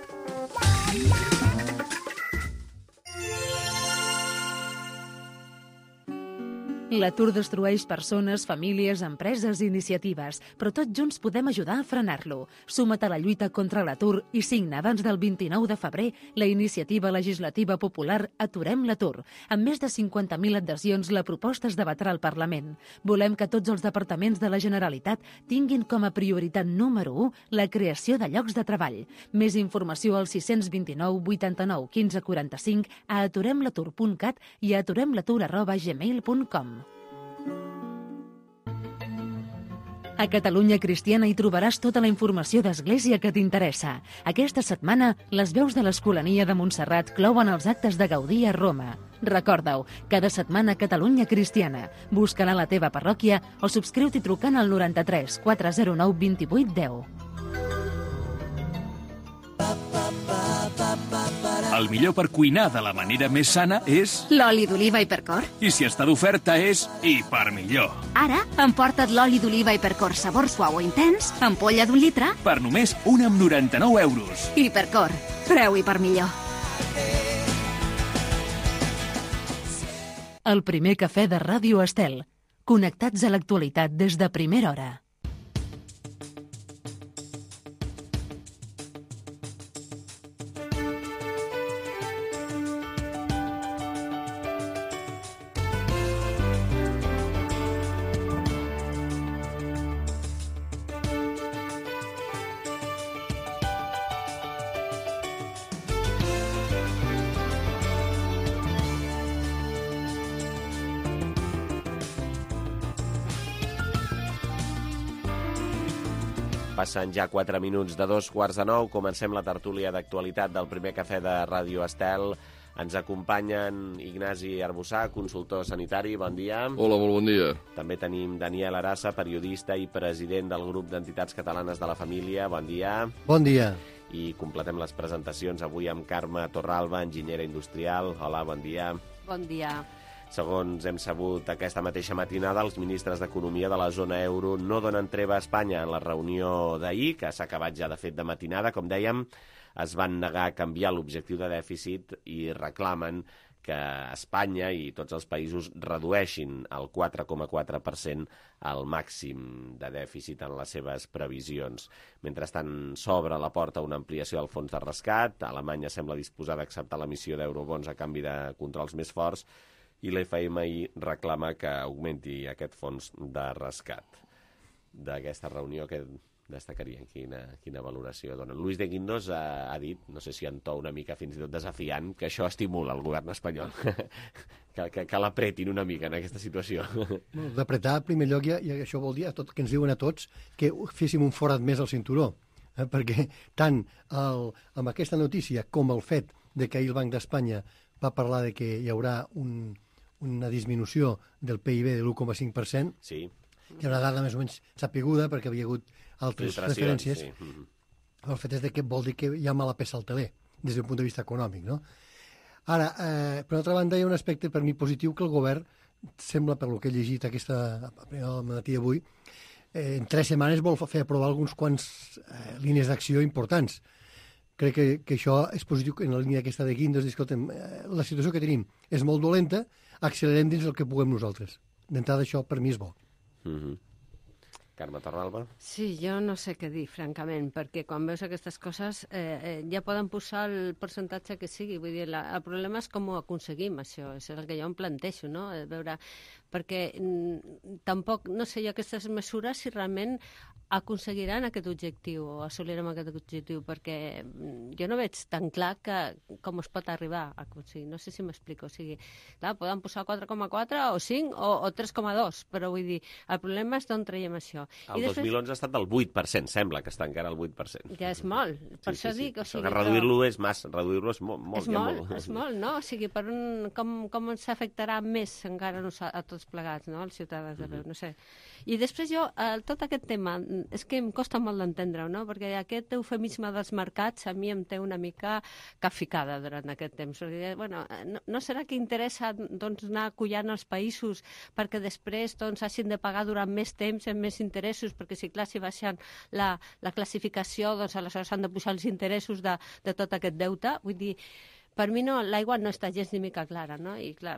L'atur destrueix persones, famílies, empreses i iniciatives, però tots junts podem ajudar a frenar-lo. Suma't a la lluita contra l'atur i signa abans del vint-i-nou de febrer la iniciativa legislativa popular Aturem l'atur. Amb més de cinquanta mil adhesions, la proposta es debatrà al Parlament. Volem que tots els departaments de la Generalitat tinguin com a prioritat número u la creació de llocs de treball. Més informació al sis dos nou, vuitanta-nou, quinze, quaranta-cinc, a aturem l'atur punt cat i a aturem l'atur arroba gmail punt com. A Catalunya Cristiana hi trobaràs tota la informació d'Església que t'interessa. Aquesta setmana, les veus de l'Escolania de Montserrat clouen els actes de Gaudí a Roma. Recorda-ho, cada setmana Catalunya Cristiana. Busca-la a la teva parròquia o subscriu-t'hi trucant al noranta-tres, quatre zero nou, vint-i-vuit, deu. El millor per cuinar de la manera més sana és... L'oli d'oliva Hipercor. I si està d'oferta és hiper millor. Ara, emporta't l'oli d'oliva Hipercor sabor suau o intens, ampolla d'un litre... Per només un amb noranta-nou euros. Hipercor, preu hiper millor. El primer cafè de Ràdio Estel. Connectats a l'actualitat des de primera hora. Passen ja quatre minuts de dos quarts de nou. Comencem la tertúlia d'actualitat del primer cafè de Ràdio Estel. Ens acompanyen Ignasi Arbussà, consultor sanitari. Bon dia. Hola, molt bon dia. També tenim Daniel Arassa, periodista i president del grup d'entitats catalanes de la família. Bon dia. Bon dia. I completem les presentacions avui amb Carme Torralba, enginyera industrial. Hola, bon dia. Bon dia. Segons hem sabut aquesta mateixa matinada, els ministres d'Economia de la zona euro no donen treva a Espanya en la reunió d'ahir, que s'ha acabat ja de fet de matinada. Com dèiem, es van negar a canviar l'objectiu de dèficit i reclamen que Espanya i tots els països redueixin el quatre coma quatre per cent al màxim de dèficit en les seves previsions. Mentrestant, s'obre la porta a una ampliació del fons de rescat. Alemanya sembla disposada a acceptar l'emissió d'eurobons a canvi de controls més forts i l'F M I reclama que augmenti aquest fons de rescat. D'aquesta reunió que destacarien quina, quina valoració donen. Luis de Guindos ha, ha dit, no sé si en to una mica fins i tot desafiant, que això estimula el govern espanyol, que, que, que l'apretin una mica en aquesta situació. D'apretar, en primer lloc, ja, ja això vol dir a tot, que ens diuen a tots que féssim un forat més al cinturó, eh? Perquè tant el, amb aquesta notícia com el fet de que ahir el Banc d'Espanya va parlar de que hi haurà un, una disminució del P I B de l'u coma cinc per cent, sí. Hi ha una dada més o menys sapiguda perquè havia hagut altres referències. Sí. Mm-hmm. El fet és de que vol dir que hi ha mala peça al teler, des d'un punt de vista econòmic, no? Ara, eh, per altra banda, hi ha un aspecte per mi positiu que el govern sembla, per lo que he llegit aquesta al matí d'avui, eh, en tres setmanes vol fer aprovar alguns quants eh, línies d'acció importants. Crec que, que això és positiu en la línia aquesta de Guindos. Escolta'm, eh, la situació que tenim és molt dolenta, accelerem dins el que puguem nosaltres. D'entrada, això per mi és bo. Mm-hmm. Carme Torralba? Sí, jo no sé què dir, francament, perquè quan veus aquestes coses eh, eh, ja poden posar el percentatge que sigui. Vull dir, la, el problema és com ho aconseguim, això. És el que jo em planteixo, no? Veure, perquè mm, tampoc, no sé jo, aquestes mesures si realment aconseguiran aquest objectiu o assolirem aquest objectiu, perquè jo no veig tan clar que, com es pot arribar a aconseguir. No sé si m'explico. O sigui, clar, poden posar quatre coma quatre o cinc o, o tres coma dos, però vull dir, el problema és d'on traiem això. El I després... dos mil onze ha estat del vuit per cent, sembla que està encara al vuit per cent. Ja és molt, per sí, això sí, dic. Sí. O sigui, que reduir-lo és massa, reduir-lo és molt. molt és molt, molt, és molt, no? O sigui, per un, com, com ens afectarà més encara a, a tots plegats, no? Els ciutadans de veu, mm-hmm. no sé. I després jo, eh, tot aquest tema, és que em costa molt d'entendre-ho, no? Perquè aquest eufemisme dels mercats a mi em té una mica caficada durant aquest temps. Perquè, bueno, no, no serà que interessa doncs, anar acollant els països perquè després doncs, hagin de pagar durant més temps amb més interessos, perquè si clar, si baixen la, la classificació, doncs aleshores han de pujar els interessos de, de tot aquest deute. Vull dir, per mi no, l'aigua no està gens ni mica clara, no? I clar,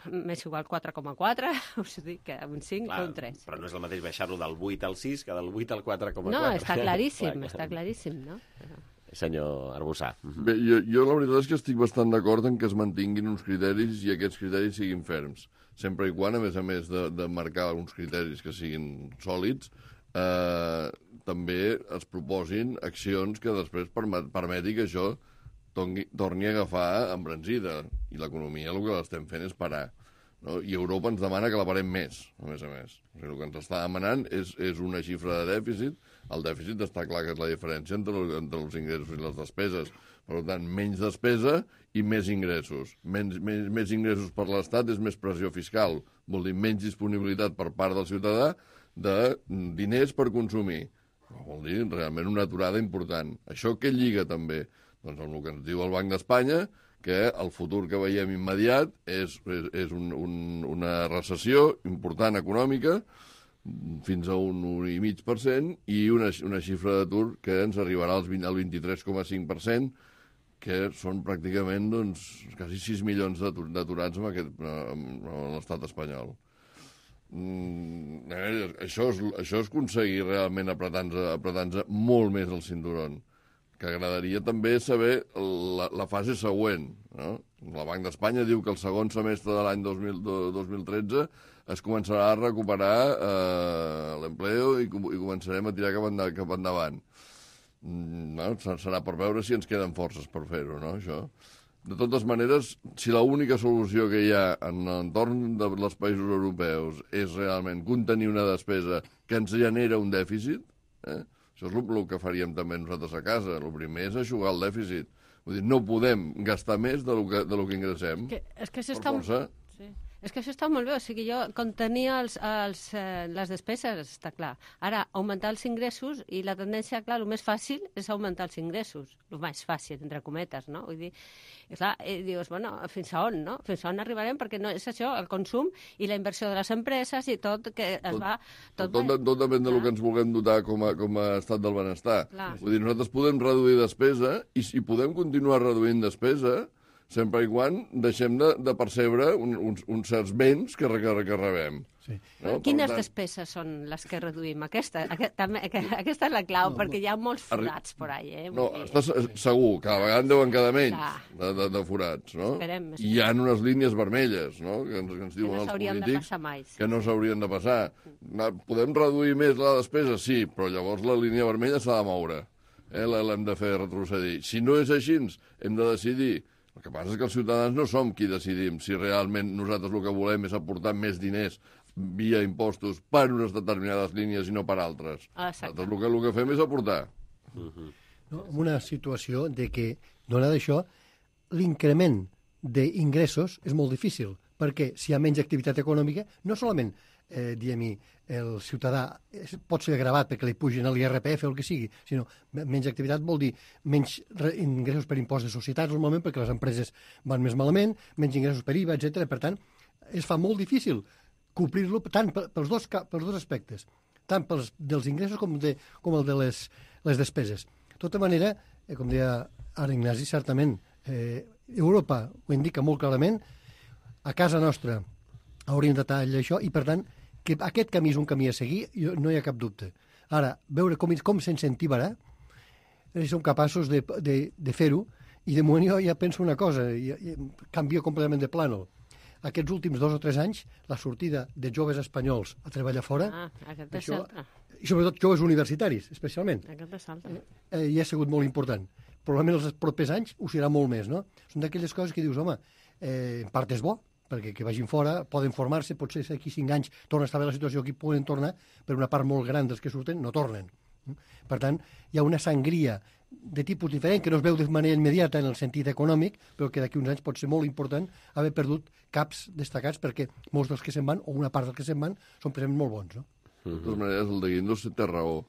m'és igual quatre coma quatre, us dic que un cinc o un tres. Però no és el mateix baixar-lo del vuit al sis que del vuit al quatre coma quatre. No, està claríssim, clar, està claríssim, no? Senyor Arbussà. Bé, jo, jo la veritat és que estic bastant d'acord en que es mantinguin uns criteris i aquests criteris siguin ferms. Sempre i quan, a més a més de, de marcar uns criteris que siguin sòlids, eh, també es proposin accions que després permet, permeti que això torni, torni a agafar embranzida. I l'economia el que l'estem fent és parar. No? I Europa ens demana que la parem més, a més a més. O sigui, el que ens està demanant és, és una xifra de dèficit. El dèficit està clar que és la diferència entre, entre els ingressos i les despeses. Per tant, menys despesa i més ingressos. Menys, més, més ingressos per l'Estat és més pressió fiscal. Vol dir menys disponibilitat per part del ciutadà de diners per consumir. Vol dir realment una aturada important. Això què lliga també? Doncs amb el que ens diu el Banc d'Espanya, que el futur que veiem immediat és, és, és un, un, una recessió important econòmica, fins a un un coma cinc per cent, i una, una xifra d'atur que ens arribarà al vint-i-tres coma cinc per cent, que són pràcticament doncs, quasi sis milions d'aturats en, aquest, en, en l'estat espanyol. Mm, eh, això, és, això és aconseguir realment apretar-nos apretar molt més el cinturón. Que agradaria també saber la, la fase següent. No? El Banc d'Espanya diu que el segon semestre de l'any dos mil tretze es començarà a recuperar eh, l'empleo i, i començarem a tirar cap, endavant, cap endavant. Mm, no? Serà per veure si ens queden forces per fer-ho, no, això. De totes maneres, si l'única solució que hi ha en l'entorn dels països europeus és realment contenir una despesa que ens genera un dèficit, eh? Això és el que faríem també nosaltres a casa. El primer és eixugar el dèficit. Vull dir, no podem gastar més de lo que, de lo que ingressem. Que, és que això per està... força. Sí. És que això està molt bé, o sigui, jo contenia els, els, eh, les despeses, està clar. Ara, augmentar els ingressos, i la tendència, clar, el més fàcil és augmentar els ingressos, el més fàcil, entre cometes, no? Vull dir, i clar, i dius, bueno, fins a on, no? Fins a on arribarem? Perquè no és això, el consum i la inversió de les empreses i tot, que es tot, va... Tot, tot, tot depèn del que ens vulguem dotar com a, com a estat del benestar. Clar. Vull dir, nosaltres podem reduir despesa, i si podem continuar reduint despesa, sempre i quan deixem de, de percebre un, uns, uns certs béns que, que, que rebem. Sí. No? Quines tant... despeses són les que reduïm? Aquesta, aquest, també, aquesta és la clau, no, perquè hi ha molts forats por ahí. Eh? No, estàs segur, cada vegada en deuen quedar menys de, de, de forats, no? Esperem, esperem. I hi ha unes línies vermelles, no?, que ens, que ens diuen no els polítics mai, sí. que no s'haurien de passar. Podem reduir més la despesa? Sí, però llavors la línia vermella s'ha de moure. Eh? L'hem de fer retrocedir. Si no és així, hem de decidir. El que passa és que els ciutadans no som qui decidim si realment nosaltres el que volem és aportar més diners via impostos per unes determinades línies i no per altres. Exacte. Nosaltres el que, el que fem és aportar. Uh-huh. No, en una situació de que, donat això, l'increment d'ingressos és molt difícil, perquè si hi ha menys activitat econòmica, no solament eh, diguem-hi, el ciutadà pot ser agravat perquè li pugin l'I R P F o el que sigui, sinó menys activitat vol dir menys ingressos per impost de societats normalment perquè les empreses van més malament, menys ingressos per I V A, etcètera. Per tant, es fa molt difícil complir-lo tant pels dos, pels dos aspectes, tant pels dels ingressos com, de, com el de les, les despeses. De tota manera, eh, com deia ara Ignasi, certament, eh, Europa ho indica molt clarament, a casa nostra hauríem de tallar això i, per tant, que aquest camí és un camí a seguir, no hi ha cap dubte. Ara, veure com, com s'incentivarà, si som capaços de, de, de fer-ho, i de moment jo ja penso una cosa, i, i canvio completament de plànol. Aquests últims dos o tres anys, la sortida de joves espanyols a treballar fora, ah, això, i sobretot joves universitaris, especialment, eh, eh, hi ha sigut molt important. Probablement els propers anys ho serà molt més, no? Són d'aquelles coses que dius, home, eh, en part és bo, perquè que vagin fora, poden formar-se, potser d'aquí cinc anys torna a estar bé la situació, aquí poden tornar, però una part molt gran dels que surten no tornen. Per tant, hi ha una sangria de tipus diferent, que no es veu de manera immediata en el sentit econòmic, però que d'aquí uns anys pot ser molt important haver perdut caps destacats, perquè molts dels que se'n van, o una part dels que se'n van, són precisament molt bons, no? De totes maneres, el de Guindos té raó.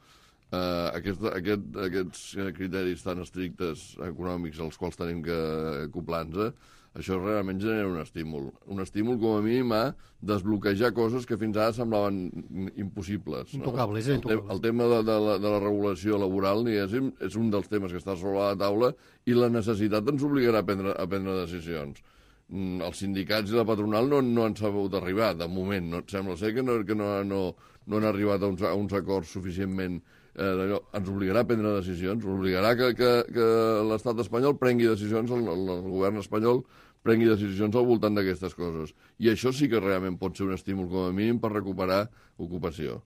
Uh, aquest, aquest, aquests criteris tan estrictes econòmics als quals tenim que acoplar-nos, això realment genera un estímul. Un estímul, com a mínim, a desbloquejar coses que fins ara semblaven impossibles. No? Intocables, eh? El, te el tema de, de, la, de la regulació laboral, diguéssim, és un dels temes que està sobre la taula i la necessitat ens obligarà a prendre, a prendre decisions. Mm, els sindicats i la patronal no, no han sabut arribar, de moment. No, sembla ser que no, que no, no, no han arribat a uns, a uns acords suficientment... Eh, ens obligarà a prendre decisions, obligarà que, que, que l'estat espanyol prengui decisions, el, el, el govern espanyol prengui decisions al voltant d'aquestes coses. I això sí que realment pot ser un estímul, com a mínim, per recuperar ocupació.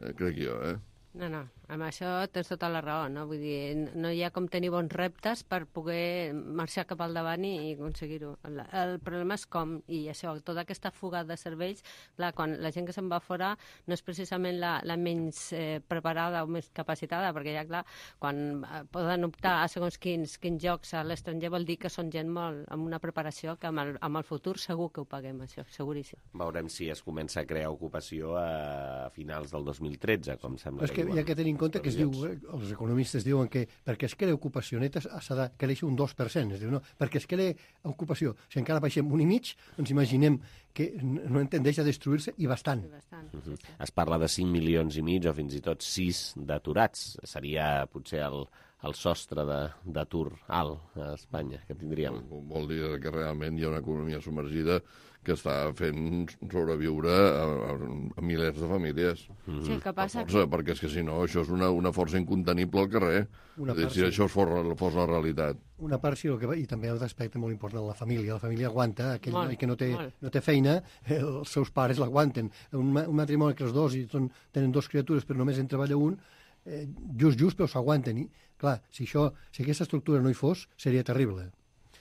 Eh, crec jo, eh? No, no, amb això tens tota la raó, no? Vull dir, no hi ha com tenir bons reptes per poder marxar cap al davant i, i aconseguir-ho. El, el problema és com, i això, tota aquesta fuga de cervells, clar, quan la gent que se'n va fora no és precisament la, la menys eh, preparada o més capacitada, perquè ja, clar, quan eh, poden optar a segons quins, quins jocs a l'estranger vol dir que són gent molt amb una preparació que amb el, amb el futur segur que ho paguem, això, seguríssim. Veurem si es comença a crear ocupació a finals del dos mil tretze, com sembla que, que hi ha que tenir en compte que es diu, els economistes diuen que perquè es crea ocupació neta s'ha de créixer un dos per cent. Es diu, no, perquè es crea ocupació, si encara baixem un i mig, ens imaginem que no en tendeix a destruir-se i bastant. I bastant. Uh -huh. Es parla de cinc milions i mig o fins i tot sis d'aturats. Seria potser el, el sostre d'atur alt a Espanya que tindríem. Vol dir que realment hi ha una economia submergida que està fent sobreviure a, a, a milers de famílies. Mm-hmm. Sí, el que passa... Per força, perquè és que si no, això és una, una força incontenible al carrer. Una dir, part, si sí. això fos, fos la realitat. Una part sí, el que va, i també un aspecte molt important, la família. La família aguanta, aquell molt, noi que no té, molt. no té feina, eh, els seus pares l'aguanten. Un, un matrimoni que els dos i són, tenen dos criatures però només en treballa un, eh, just, just, però s'aguanten. I, clar, si, això, si aquesta estructura no hi fos, seria terrible.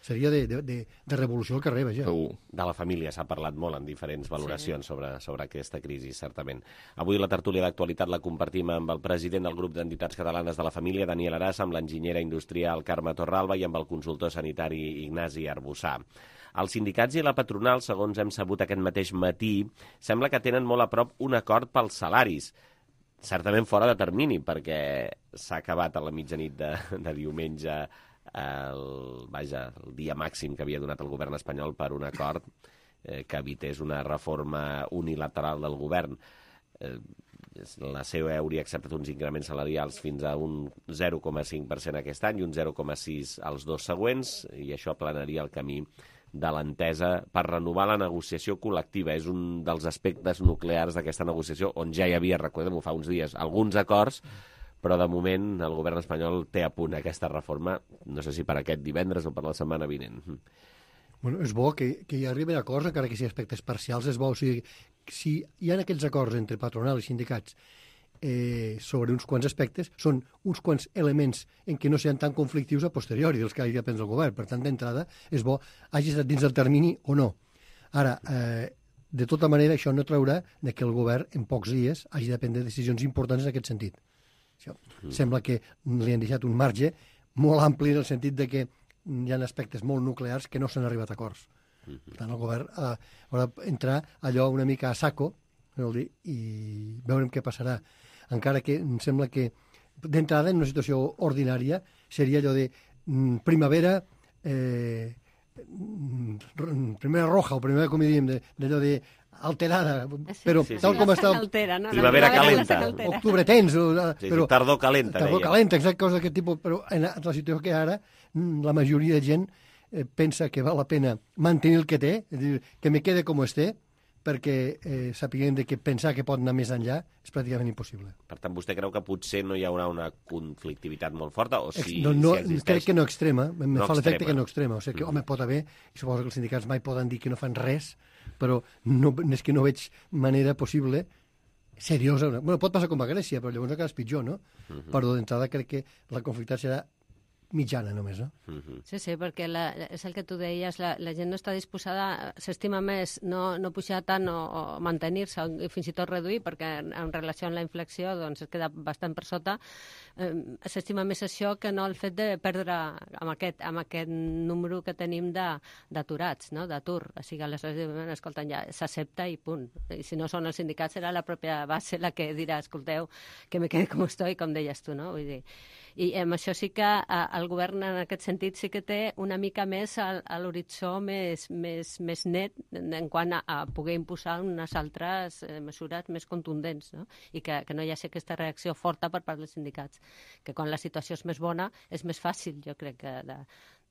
seria de, de, de, de revolució al carrer, vaja. De la família s'ha parlat molt en diferents valoracions sí. sobre, sobre aquesta crisi, certament. Avui la tertúlia d'actualitat la compartim amb el president del grup d'entitats catalanes de la família, Daniel Arassa, amb l'enginyera industrial Carme Torralba i amb el consultor sanitari Ignasi Arbussà. Els sindicats i la patronal, segons hem sabut aquest mateix matí, sembla que tenen molt a prop un acord pels salaris. Certament fora de termini, perquè s'ha acabat a la mitjanit de, de diumenge el, vaja, el dia màxim que havia donat el govern espanyol per un acord eh, que evités una reforma unilateral del govern. Eh, la C O E hauria acceptat uns increments salarials fins a un zero coma cinc per cent aquest any i un zero coma sis als dos següents, i això aplanaria el camí de l'entesa per renovar la negociació col·lectiva. És un dels aspectes nuclears d'aquesta negociació, on ja hi havia, recordem-ho fa uns dies, alguns acords, però de moment el govern espanyol té a punt aquesta reforma, no sé si per aquest divendres o per la setmana vinent. Bueno, és bo que, que hi arriben acords, encara que sigui aspectes parcials, és bo. O sigui, si hi ha aquells acords entre patronal i sindicats eh, sobre uns quants aspectes, són uns quants elements en què no sean tan conflictius a posteriori dels que hagi de prendre el govern. Per tant, d'entrada, és bo, hagi estat dins del termini o no. Ara, eh, de tota manera, això no traurà de que el govern, en pocs dies, hagi de prendre decisions importants en aquest sentit. Això, mm. Sembla que li han deixat un marge molt ampli en el sentit de que hi ha aspectes molt nuclears que no s'han arribat a acords. Mm -hmm. Per tant, el govern eh, haurà d'entrar allò una mica a saco, dir, i veurem què passarà. Encara que em sembla que d'entrada en una situació ordinària seria allò de mm, primavera eh, mm, primavera roja o primavera, com diríem, d'allò de alterada, però sí, sí, tal sí. com està... Altera, no? Primavera calenta. Octubre tens. O, sí, però, sí, tardor calenta. Tardor calenta, exacte, cosa d'aquest tipus. Però en la situació que ara, la majoria de gent eh, pensa que val la pena mantenir el que té, és dir, que me quede com esté, perquè eh, sapiguem de que pensar que pot anar més enllà és pràcticament impossible. Per tant, vostè creu que potser no hi haurà una conflictivitat molt forta? O si, no, no, si existeix... Crec que no extrema, em no fa l'efecte que no extrema. O sigui que, mm. home, pot haver, i suposo que els sindicats mai poden dir que no fan res, però no, és que no veig manera possible seriosa. Bueno, pot passar com a Grècia, però llavors encara és pitjor, no? Mm -hmm. Però d'entrada crec que la conflictitat serà mitjana només, no? Mm-hmm. Sí, sí, perquè la, és el que tu deies, la, la gent no està disposada, s'estima més no, no pujar tant o, o mantenir-se, o fins i tot reduir, perquè en, en relació amb la inflació doncs es queda bastant per sota, eh, s'estima més això que no el fet de perdre amb aquest, amb aquest número que tenim d'aturats, no? D'atur. O sigui, aleshores diuen, escolta, ja s'accepta i punt. I si no són els sindicats, serà la pròpia base la que dirà, escolteu, que me quede com estoy, com deies tu, no? Vull dir, i amb això sí que eh, el govern en aquest sentit sí que té una mica més a, a l'horitzó més, més, més net en quant a, a poder imposar unes altres eh, mesures més contundents, no? I que, que no hi hagi aquesta reacció forta per part dels sindicats, que quan la situació és més bona és més fàcil, jo crec, que de,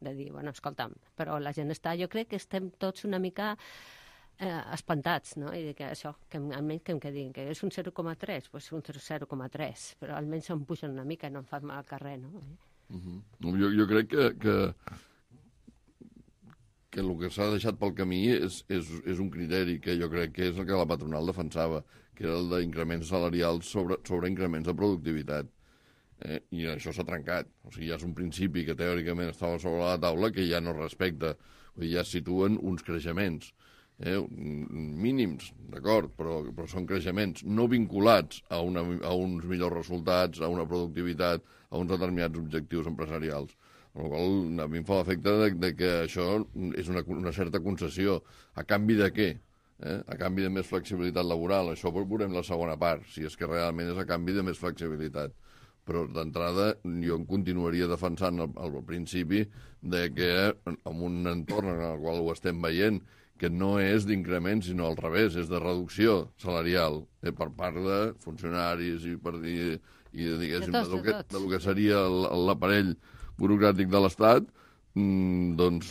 de dir, bueno, escolta'm, però la gent està, jo crec que estem tots una mica eh, espantats, no? I que això, que almenys que em quedin, que és un zero coma tres, doncs un zero coma tres, però almenys em pugen una mica i no em fan mal al carrer, no? Uh-huh. jo, jo crec que, que, que el que s'ha deixat pel camí és, és, és un criteri que jo crec que és el que la patronal defensava, que era el d'increments salarials sobre, sobre increments de productivitat. Eh? I això s'ha trencat. O sigui, ja és un principi que teòricament estava sobre la taula que ja no respecta. Vull dir, ja es situen uns creixements. Eh, mínims, d'acord, però, però són creixements no vinculats a, una, a uns millors resultats, a una productivitat, a uns determinats objectius empresarials. Amb la qual a mi em fa l'efecte de, de que això és una, una certa concessió. A canvi de què? Eh? A canvi de més flexibilitat laboral. Això ho veurem la segona part, si és que realment és a canvi de més flexibilitat. Però d'entrada jo em continuaria defensant al, al principi de que en un entorn en el qual ho estem veient, que no és d'increment, sinó al revés, és de reducció salarial eh, per part de funcionaris i, per, i, i diguéssim, de, tot, de, que, de lo que seria l'aparell burocràtic de l'Estat, mmm, doncs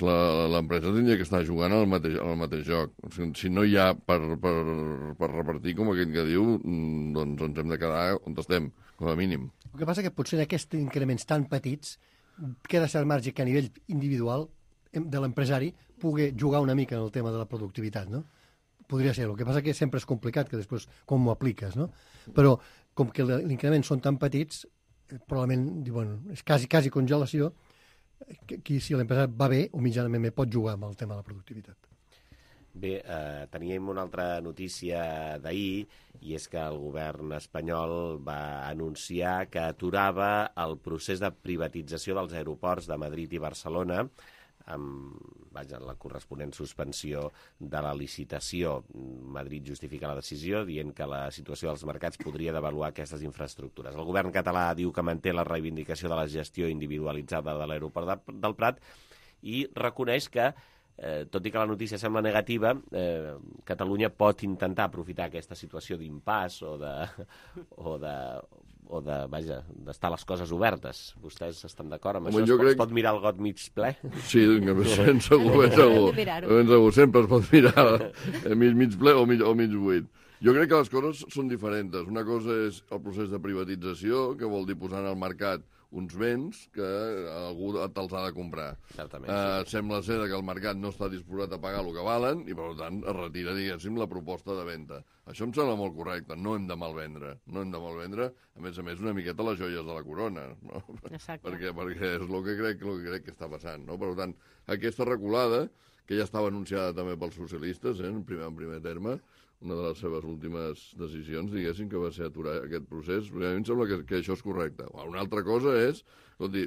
l'empresa tindria que estar jugant al mateix, al mateix joc. O sigui, si no hi ha per, per, per repartir, com aquell que diu, doncs ens hem de quedar on estem, com a mínim. El que passa que potser en aquests increments tan petits queda cert marge que a nivell individual de l'empresari pugui jugar una mica en el tema de la productivitat, no? Podria ser. El que passa que sempre és complicat, que després com ho apliques, no? Però com que l'increment són tan petits, probablement, bueno, és quasi, quasi congelació, Aquí, si l'empresa va bé o mitjanament bé, pot jugar amb el tema de la productivitat. Bé, eh, teníem una altra notícia d'ahir, i és que el govern espanyol va anunciar que aturava el procés de privatització dels aeroports de Madrid i Barcelona, amb vaja, la corresponent suspensió de la licitació. Madrid justifica la decisió dient que la situació dels mercats podria devaluar aquestes infraestructures. El govern català diu que manté la reivindicació de la gestió individualitzada de l'aeroport de, del Prat i reconeix que Eh, tot i que la notícia sembla negativa, eh, Catalunya pot intentar aprofitar aquesta situació d'impàs o de, o de, o de, vaja, d'estar les coses obertes. Vostès estan d'acord amb Home, això? Es pot, crec... es pot mirar el got mig ple? Sí, ben segur, ben segur. Ben segur, sempre es pot mirar mig, mig ple o mig, o mig buit. Jo crec que les coses són diferents. Una cosa és el procés de privatització, que vol dir posar en el mercat uns béns que algú te'ls ha de comprar. Certament, uh, sí. Sembla ser que el mercat no està disposat a pagar el que valen i, per tant, es retira, diguéssim, la proposta de venda. Això em sembla molt correcte. No hem de malvendre. No hem de malvendre, a més a més, una miqueta les joies de la corona. No? perquè, perquè és el que, crec, el que crec que està passant. No? Per tant, aquesta reculada, que ja estava anunciada també pels socialistes, eh, en, primer, en primer terme, una de les seves últimes decisions, diguéssim, que va ser aturar aquest procés. A mi em sembla que, que això és correcte. Una altra cosa és, escolti,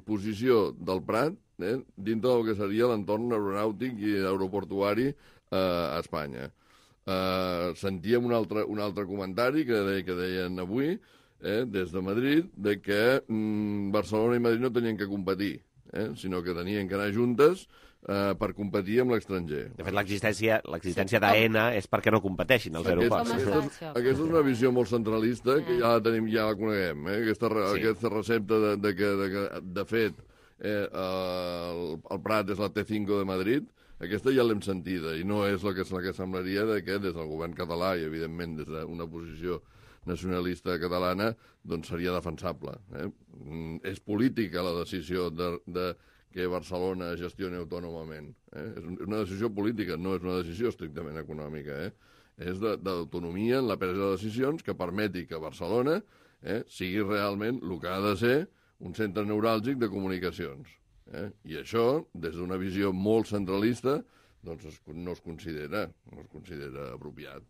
posició del Prat eh, dintre del que seria l'entorn aeronàutic i aeroportuari eh, a Espanya. Eh, sentíem un altre, un altre comentari que, de, que deien avui, eh, des de Madrid, de que mm, Barcelona i Madrid no tenien que competir, eh, sinó que tenien que anar juntes Uh, per competir amb l'estranger. De fet, l'existència l'existència d'AENA és perquè no competeixin els aeroports. Aquest, aquesta, aquesta és una visió molt centralista que ja la tenim, ja la coneguem. Eh? Aquesta, sí. aquesta recepta de, de que, de, que, de fet, eh, el, el Prat és la T cinco de Madrid, aquesta ja l'hem sentida, i no és la que, la que semblaria de que des del govern català i, evidentment, des d'una posició nacionalista catalana, doncs seria defensable. Eh? Mm, és política la decisió de, de que Barcelona gestioni autònomament. Eh? És una decisió política, no és una decisió estrictament econòmica. Eh? És d'autonomia en la presa de decisions que permeti que Barcelona eh, sigui realment el que ha de ser un centre neuràlgic de comunicacions. Eh? I això, des d'una visió molt centralista, doncs es, no es considera, no es considera apropiat.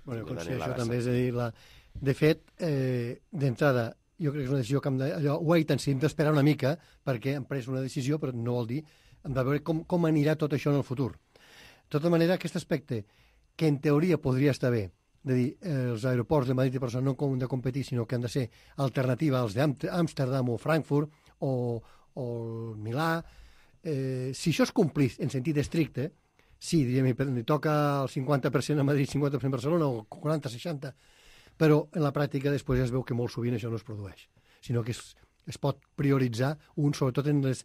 Bueno, jo considero això també, és a dir, la... de fet, eh, d'entrada, jo crec que és una decisió que hem de, allò, wait and see, hem d'esperar una mica perquè hem pres una decisió, però no vol dir, hem de veure com, com anirà tot això en el futur. De tota manera, aquest aspecte, que en teoria podria estar bé, de dir, eh, els aeroports de Madrid i Barcelona no han de competir, sinó que han de ser alternativa als d'Amsterdam o Frankfurt o, o Milà, eh, si això es complís en sentit estricte, sí, diríem, li toca el cinquanta per cent a Madrid, cinquanta per cent a Barcelona, o quaranta seixanta, però en la pràctica després ja es veu que molt sovint això no es produeix, sinó que es, es pot prioritzar un, sobretot en les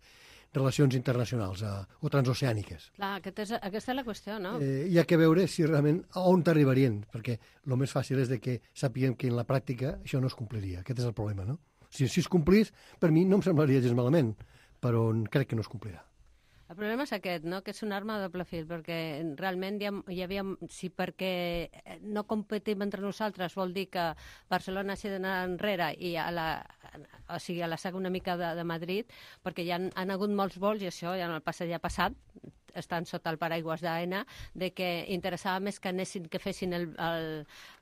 relacions internacionals eh, o transoceàniques. Clar, aquest és, aquesta és la qüestió, no? Eh, hi ha que veure si realment a on t'arribarien, perquè el més fàcil és de que sapiguem que en la pràctica això no es compliria. Aquest és el problema, no? Si, si es complís, per mi no em semblaria gens malament, però crec que no es complirà. El problema és aquest, no? Que és una arma de doble fil, perquè realment hi, ha, hi havia... Si perquè no competim entre nosaltres vol dir que Barcelona s'ha d'anar enrere i a la, o sigui, a la saga una mica de, de Madrid, perquè hi han, han hagut molts vols, i això ja en el passat ja ha passat, estan sota el paraigües d'AENA, de que interessava més que anessin, que fessin el, el,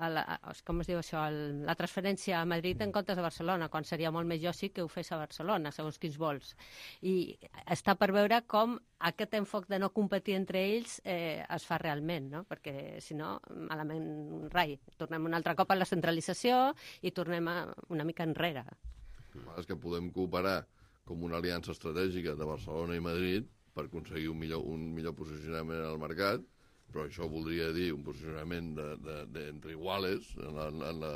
el, com es diu això, el, la transferència a Madrid en comptes de Barcelona, quan seria molt més lògic que ho fes a Barcelona, segons quins vols. I està per veure com aquest enfoc de no competir entre ells eh, es fa realment, no? Perquè si no, malament rai. Tornem un altre cop a la centralització i tornem a una mica enrere. És que podem cooperar com una aliança estratègica de Barcelona i Madrid per aconseguir un millor, un millor posicionament al mercat, però això voldria dir un posicionament de, de, de, entre iguales en la, en, la,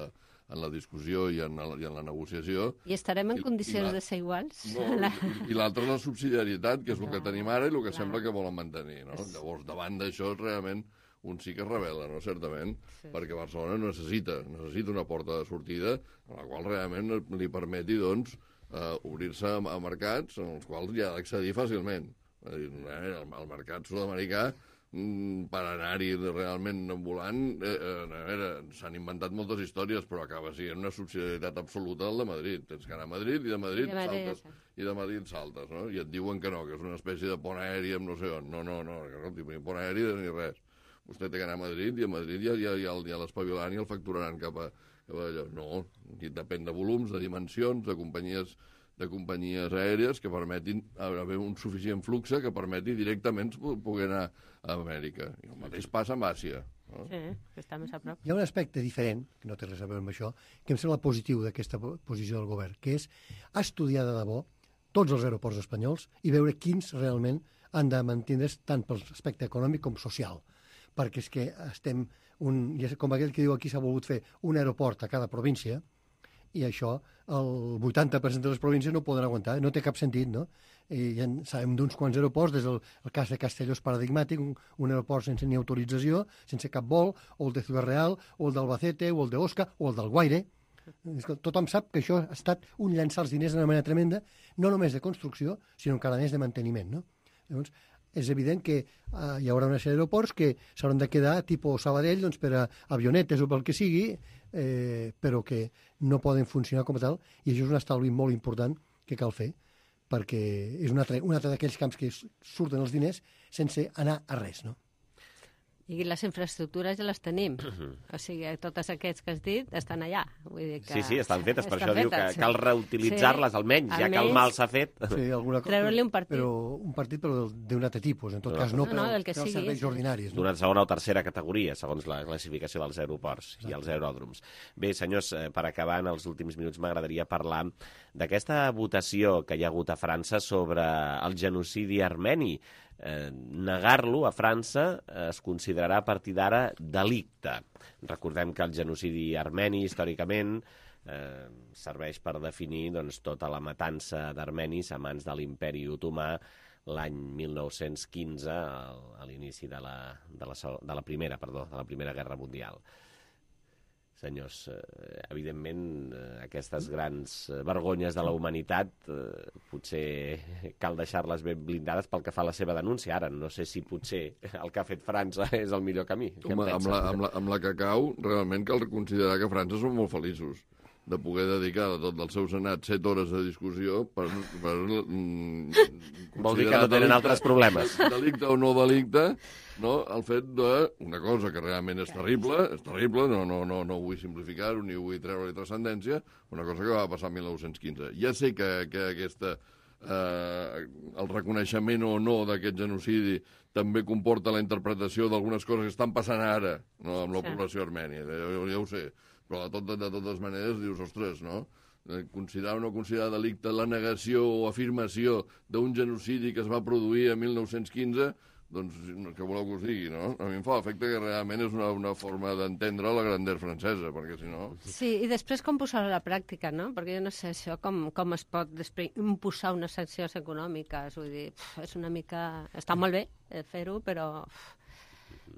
en la discussió i en la, i en la negociació. I estarem en I, condicions i la, de ser iguals? No, la... I, i l'altre és la subsidiarietat, que és el que tenim ara i el que clar. Sembla que volen mantenir. No? És... Llavors, davant d'això, realment, un sí que es revela, no? Certament, sí. Perquè Barcelona necessita, necessita una porta de sortida en la qual realment li permeti, doncs, eh, obrir-se a mercats en els quals hi ha d'accedir fàcilment. El, el mercat sud-americà per anar-hi realment volant, eh, eh, s'han inventat moltes històries, però acaba sent una subsidiarietat absoluta al de Madrid. Tens que anar a Madrid i de Madrid, I de Madrid saltes, ja i de Madrid saltes, no? I et diuen que no, que és una espècie de pont aeri amb no sé on. No, no, no, no ni pont aeri ni res. Vostè té que anar a Madrid i a Madrid ja, ja, ja, ja l'espavilaran i el facturaran cap a, cap a allò. No, depèn de volums, de dimensions, de companyies de companyies aèries que permetin haver un suficient flux que permeti directament poder anar a Amèrica. I el mateix passa amb Àsia. No? Sí, que està més a prop. Hi ha un aspecte diferent, que no té res a veure amb això, que em sembla positiu d'aquesta posició del govern, que és estudiar de debò tots els aeroports espanyols i veure quins realment han de mantindre's tant per l'aspecte econòmic com social. Perquè és que estem, un, com aquell que diu aquí s'ha volgut fer un aeroport a cada província, i això el vuitanta per cent de les províncies no poden aguantar, no té cap sentit, no? I ja sabem d'uns quants aeroports, des del el cas de Castelló és paradigmàtic, un, un aeroport sense ni autorització, sense cap vol, o el de Ciudad Real, o el d'Albacete, o el d'Osca, o el del Guaire. Tothom sap que això ha estat un llançar els diners d'una manera tremenda, no només de construcció, sinó encara més de manteniment, no? Llavors, és evident que uh, hi haurà una sèrie d'aeroports que s'hauran de quedar tipus Sabadell doncs, per a avionetes o pel que sigui, eh, però que no poden funcionar com a tal, i això és un estalvi molt important que cal fer, perquè és un altre, un altre d'aquells camps que surten els diners sense anar a res, no? I les infraestructures ja les tenim. O sigui, totes aquests que has dit estan allà. Vull dir que sí, sí, estan fetes. Per estan això fetes, diu que sí. Cal reutilitzar-les, sí, almenys, ja almenys, que el mal s'ha fet. Sí, alguna cosa. Treure-li un partit. Però un partit però d'un altre tipus, en tot no, cas no, no, no per als serveis ordinaris. No? D'una segona o tercera categoria, segons la classificació dels aeroports Exacte. I els aeròdroms. Bé, senyors, per acabar, en els últims minuts m'agradaria parlar d'aquesta votació que hi ha hagut a França sobre el genocidi armeni. Eh, negar-lo a França eh, es considerarà a partir d'ara delicte. Recordem que el genocidi armeni, històricament, eh, serveix per definir doncs, tota la matança d'armenis a mans de l'imperi otomà l'any mil nou-cents quinze, a l'inici de la, de, la, de, la primera, perdó, de la Primera Guerra Mundial. Senyors, eh, evidentment, eh, aquestes grans eh, vergonyes de la humanitat eh, potser cal deixar-les ben blindades pel que fa a la seva denúncia. Ara, no sé si potser el que ha fet França és el millor camí. Home, amb, la, amb, la, amb la que cau, realment cal considerar que França són molt feliços de poder dedicar a tot el seu senat set hores de discussió per... per mm, vol dir que no tenen delicte, altres problemes. Delicte o no delicte, no? El fet d'una cosa que realment és terrible, és terrible, no, no, no, no vull simplificar-ho ni vull treure-hi transcendència, una cosa que va passar el mil nou-cents quinze. Ja sé que, que aquesta, eh, el reconeixement o no d'aquest genocidi també comporta la interpretació d'algunes coses que estan passant ara, no, amb la sí. població armènia, ja, ja ho sé. Però de, tot, de totes maneres dius, ostres, no? Considerar o no considerar delicte la negació o afirmació d'un genocidi que es va produir a mil nou-cents quinze, doncs, què voleu que us digui, no? A mi em fa l'efecte que realment és una, una forma d'entendre la grandeur francesa, perquè si no... Sí, i després com posar-ho a la pràctica, no? Perquè jo no sé això, com, com es pot després imposar unes sancions econòmiques, vull dir, pf, és una mica... Està molt bé fer-ho, però... Pf,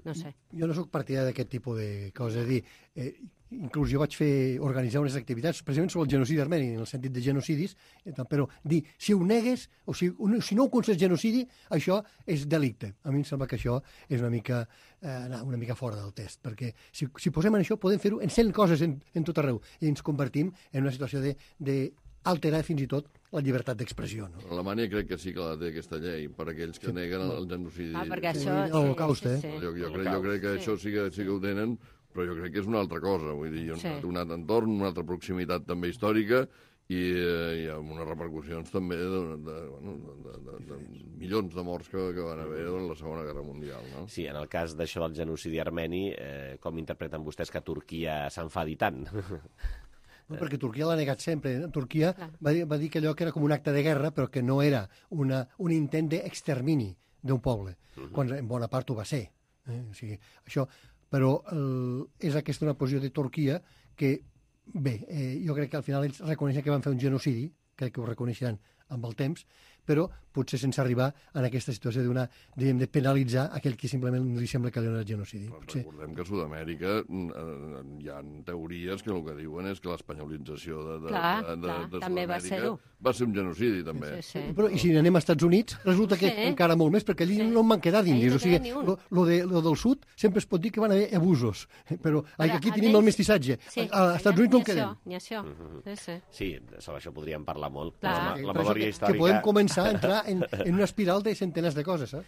no sé. Jo no sóc partidari d'aquest tipus de coses, és a dir, eh, inclús jo vaig fer organitzar unes activitats precisament sobre el genocidi armeni, en el sentit de genocidis, però dir, si ho negues, o si, si no ho considers genocidi, això és delicte. A mi em sembla que això és una mica, eh, una mica fora del test, perquè si, si posem en això podem fer-ho en cent coses en, en tot arreu, i ens convertim en una situació de, de alterar fins i tot la llibertat d'expressió. No? Alemanya crec que sí que la té aquesta llei per aquells que sí. neguen el, el genocidi. Ah, perquè això... Sí, l'Holocaust, eh? Sí, sí. Jo, jo, crec, jo crec que sí. això sí que, sí que ho tenen, però jo crec que és una altra cosa. Vull dir, sí. un altre entorn, una altra proximitat també històrica i, eh, i amb unes repercussions també de, de, bueno, de, de, de, de milions de morts que, que van haver en la Segona Guerra Mundial. No? Sí, en el cas d'això del genocidi armeni, eh, com interpreten vostès que Turquia s'enfadi tant? No, perquè Turquia l'ha negat sempre. Turquia va dir, va dir que allò que era com un acte de guerra, però que no era una, un intent d'extermini d'un poble, uh-huh. quan en bona part ho va ser. Eh? O sigui, això, però el, és aquesta una posició de Turquia que, bé, eh, jo crec que al final ells reconeixen que van fer un genocidi, crec que ho reconeixeran amb el temps, però potser sense arribar a aquesta situació d'una, diguem, de penalitzar aquell que simplement li sembla que li ha genocidi. Potser... Recordem que a Sud-amèrica eh, hi ha teories que el que diuen és que l'espanyolització de, de, clar, de, de, clar, de també va Sud-amèrica ser-ho. va ser un genocidi, també. Sí, sí. Però, i si anem als Estats Units, resulta que Sí. encara molt més, perquè allí Sí. no en van quedar d'indis. Allí no O sigui, queda ni un. lo, lo, de, lo del sud sempre es pot dir que van haver abusos, però Ara, aquí tenim el almenys- mestissatge. Sí, Als Estats Units no en quedem. Ni això, sí, sí. Sí, sobre això podríem parlar molt. Clar. La, la Per això memòria que, històrica... que podem començar a entrar en, en una espiral de centenars de coses, eh?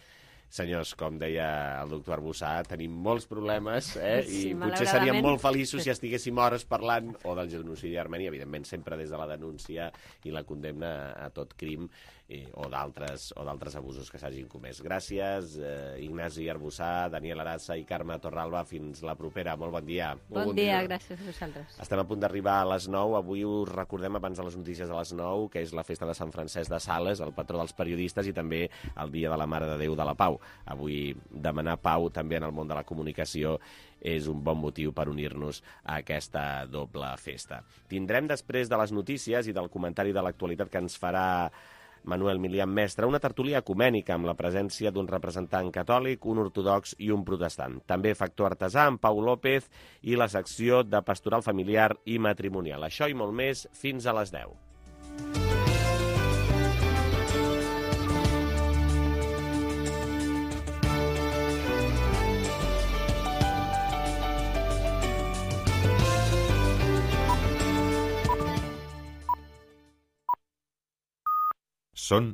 Senyors, com deia el doctor Arbussà, tenim molts problemes eh? Sí, i potser seríem malauradament. molt feliços si estiguéssim hores parlant o del genocidi armeni, evidentment sempre des de la denúncia i la condemna a tot crim i, o d'altres o d'altres abusos que s'hagin comès. Gràcies, eh, Ignasi Arbussà, Daniel Arassa i Carme Torralba. Fins la propera. Molt bon dia. Bon, bon dia, dia, gràcies a vosaltres. Estem a punt d'arribar a les nou. Avui us recordem, abans de les notícies de les nou, que és la festa de Sant Francesc de Sales, el patró dels periodistes, i també el Dia de la Mare de Déu de la Pau. Avui demanar pau també en el món de la comunicació és un bon motiu per unir-nos a aquesta doble festa. Tindrem després de les notícies i del comentari de l'actualitat que ens farà Manuel Milian Mestre una tertúlia ecumènica amb la presència d'un representant catòlic, un ortodox i un protestant. També factor artesà amb Pau López i la secció de pastoral familiar i matrimonial. Això i molt més fins a les deu. Són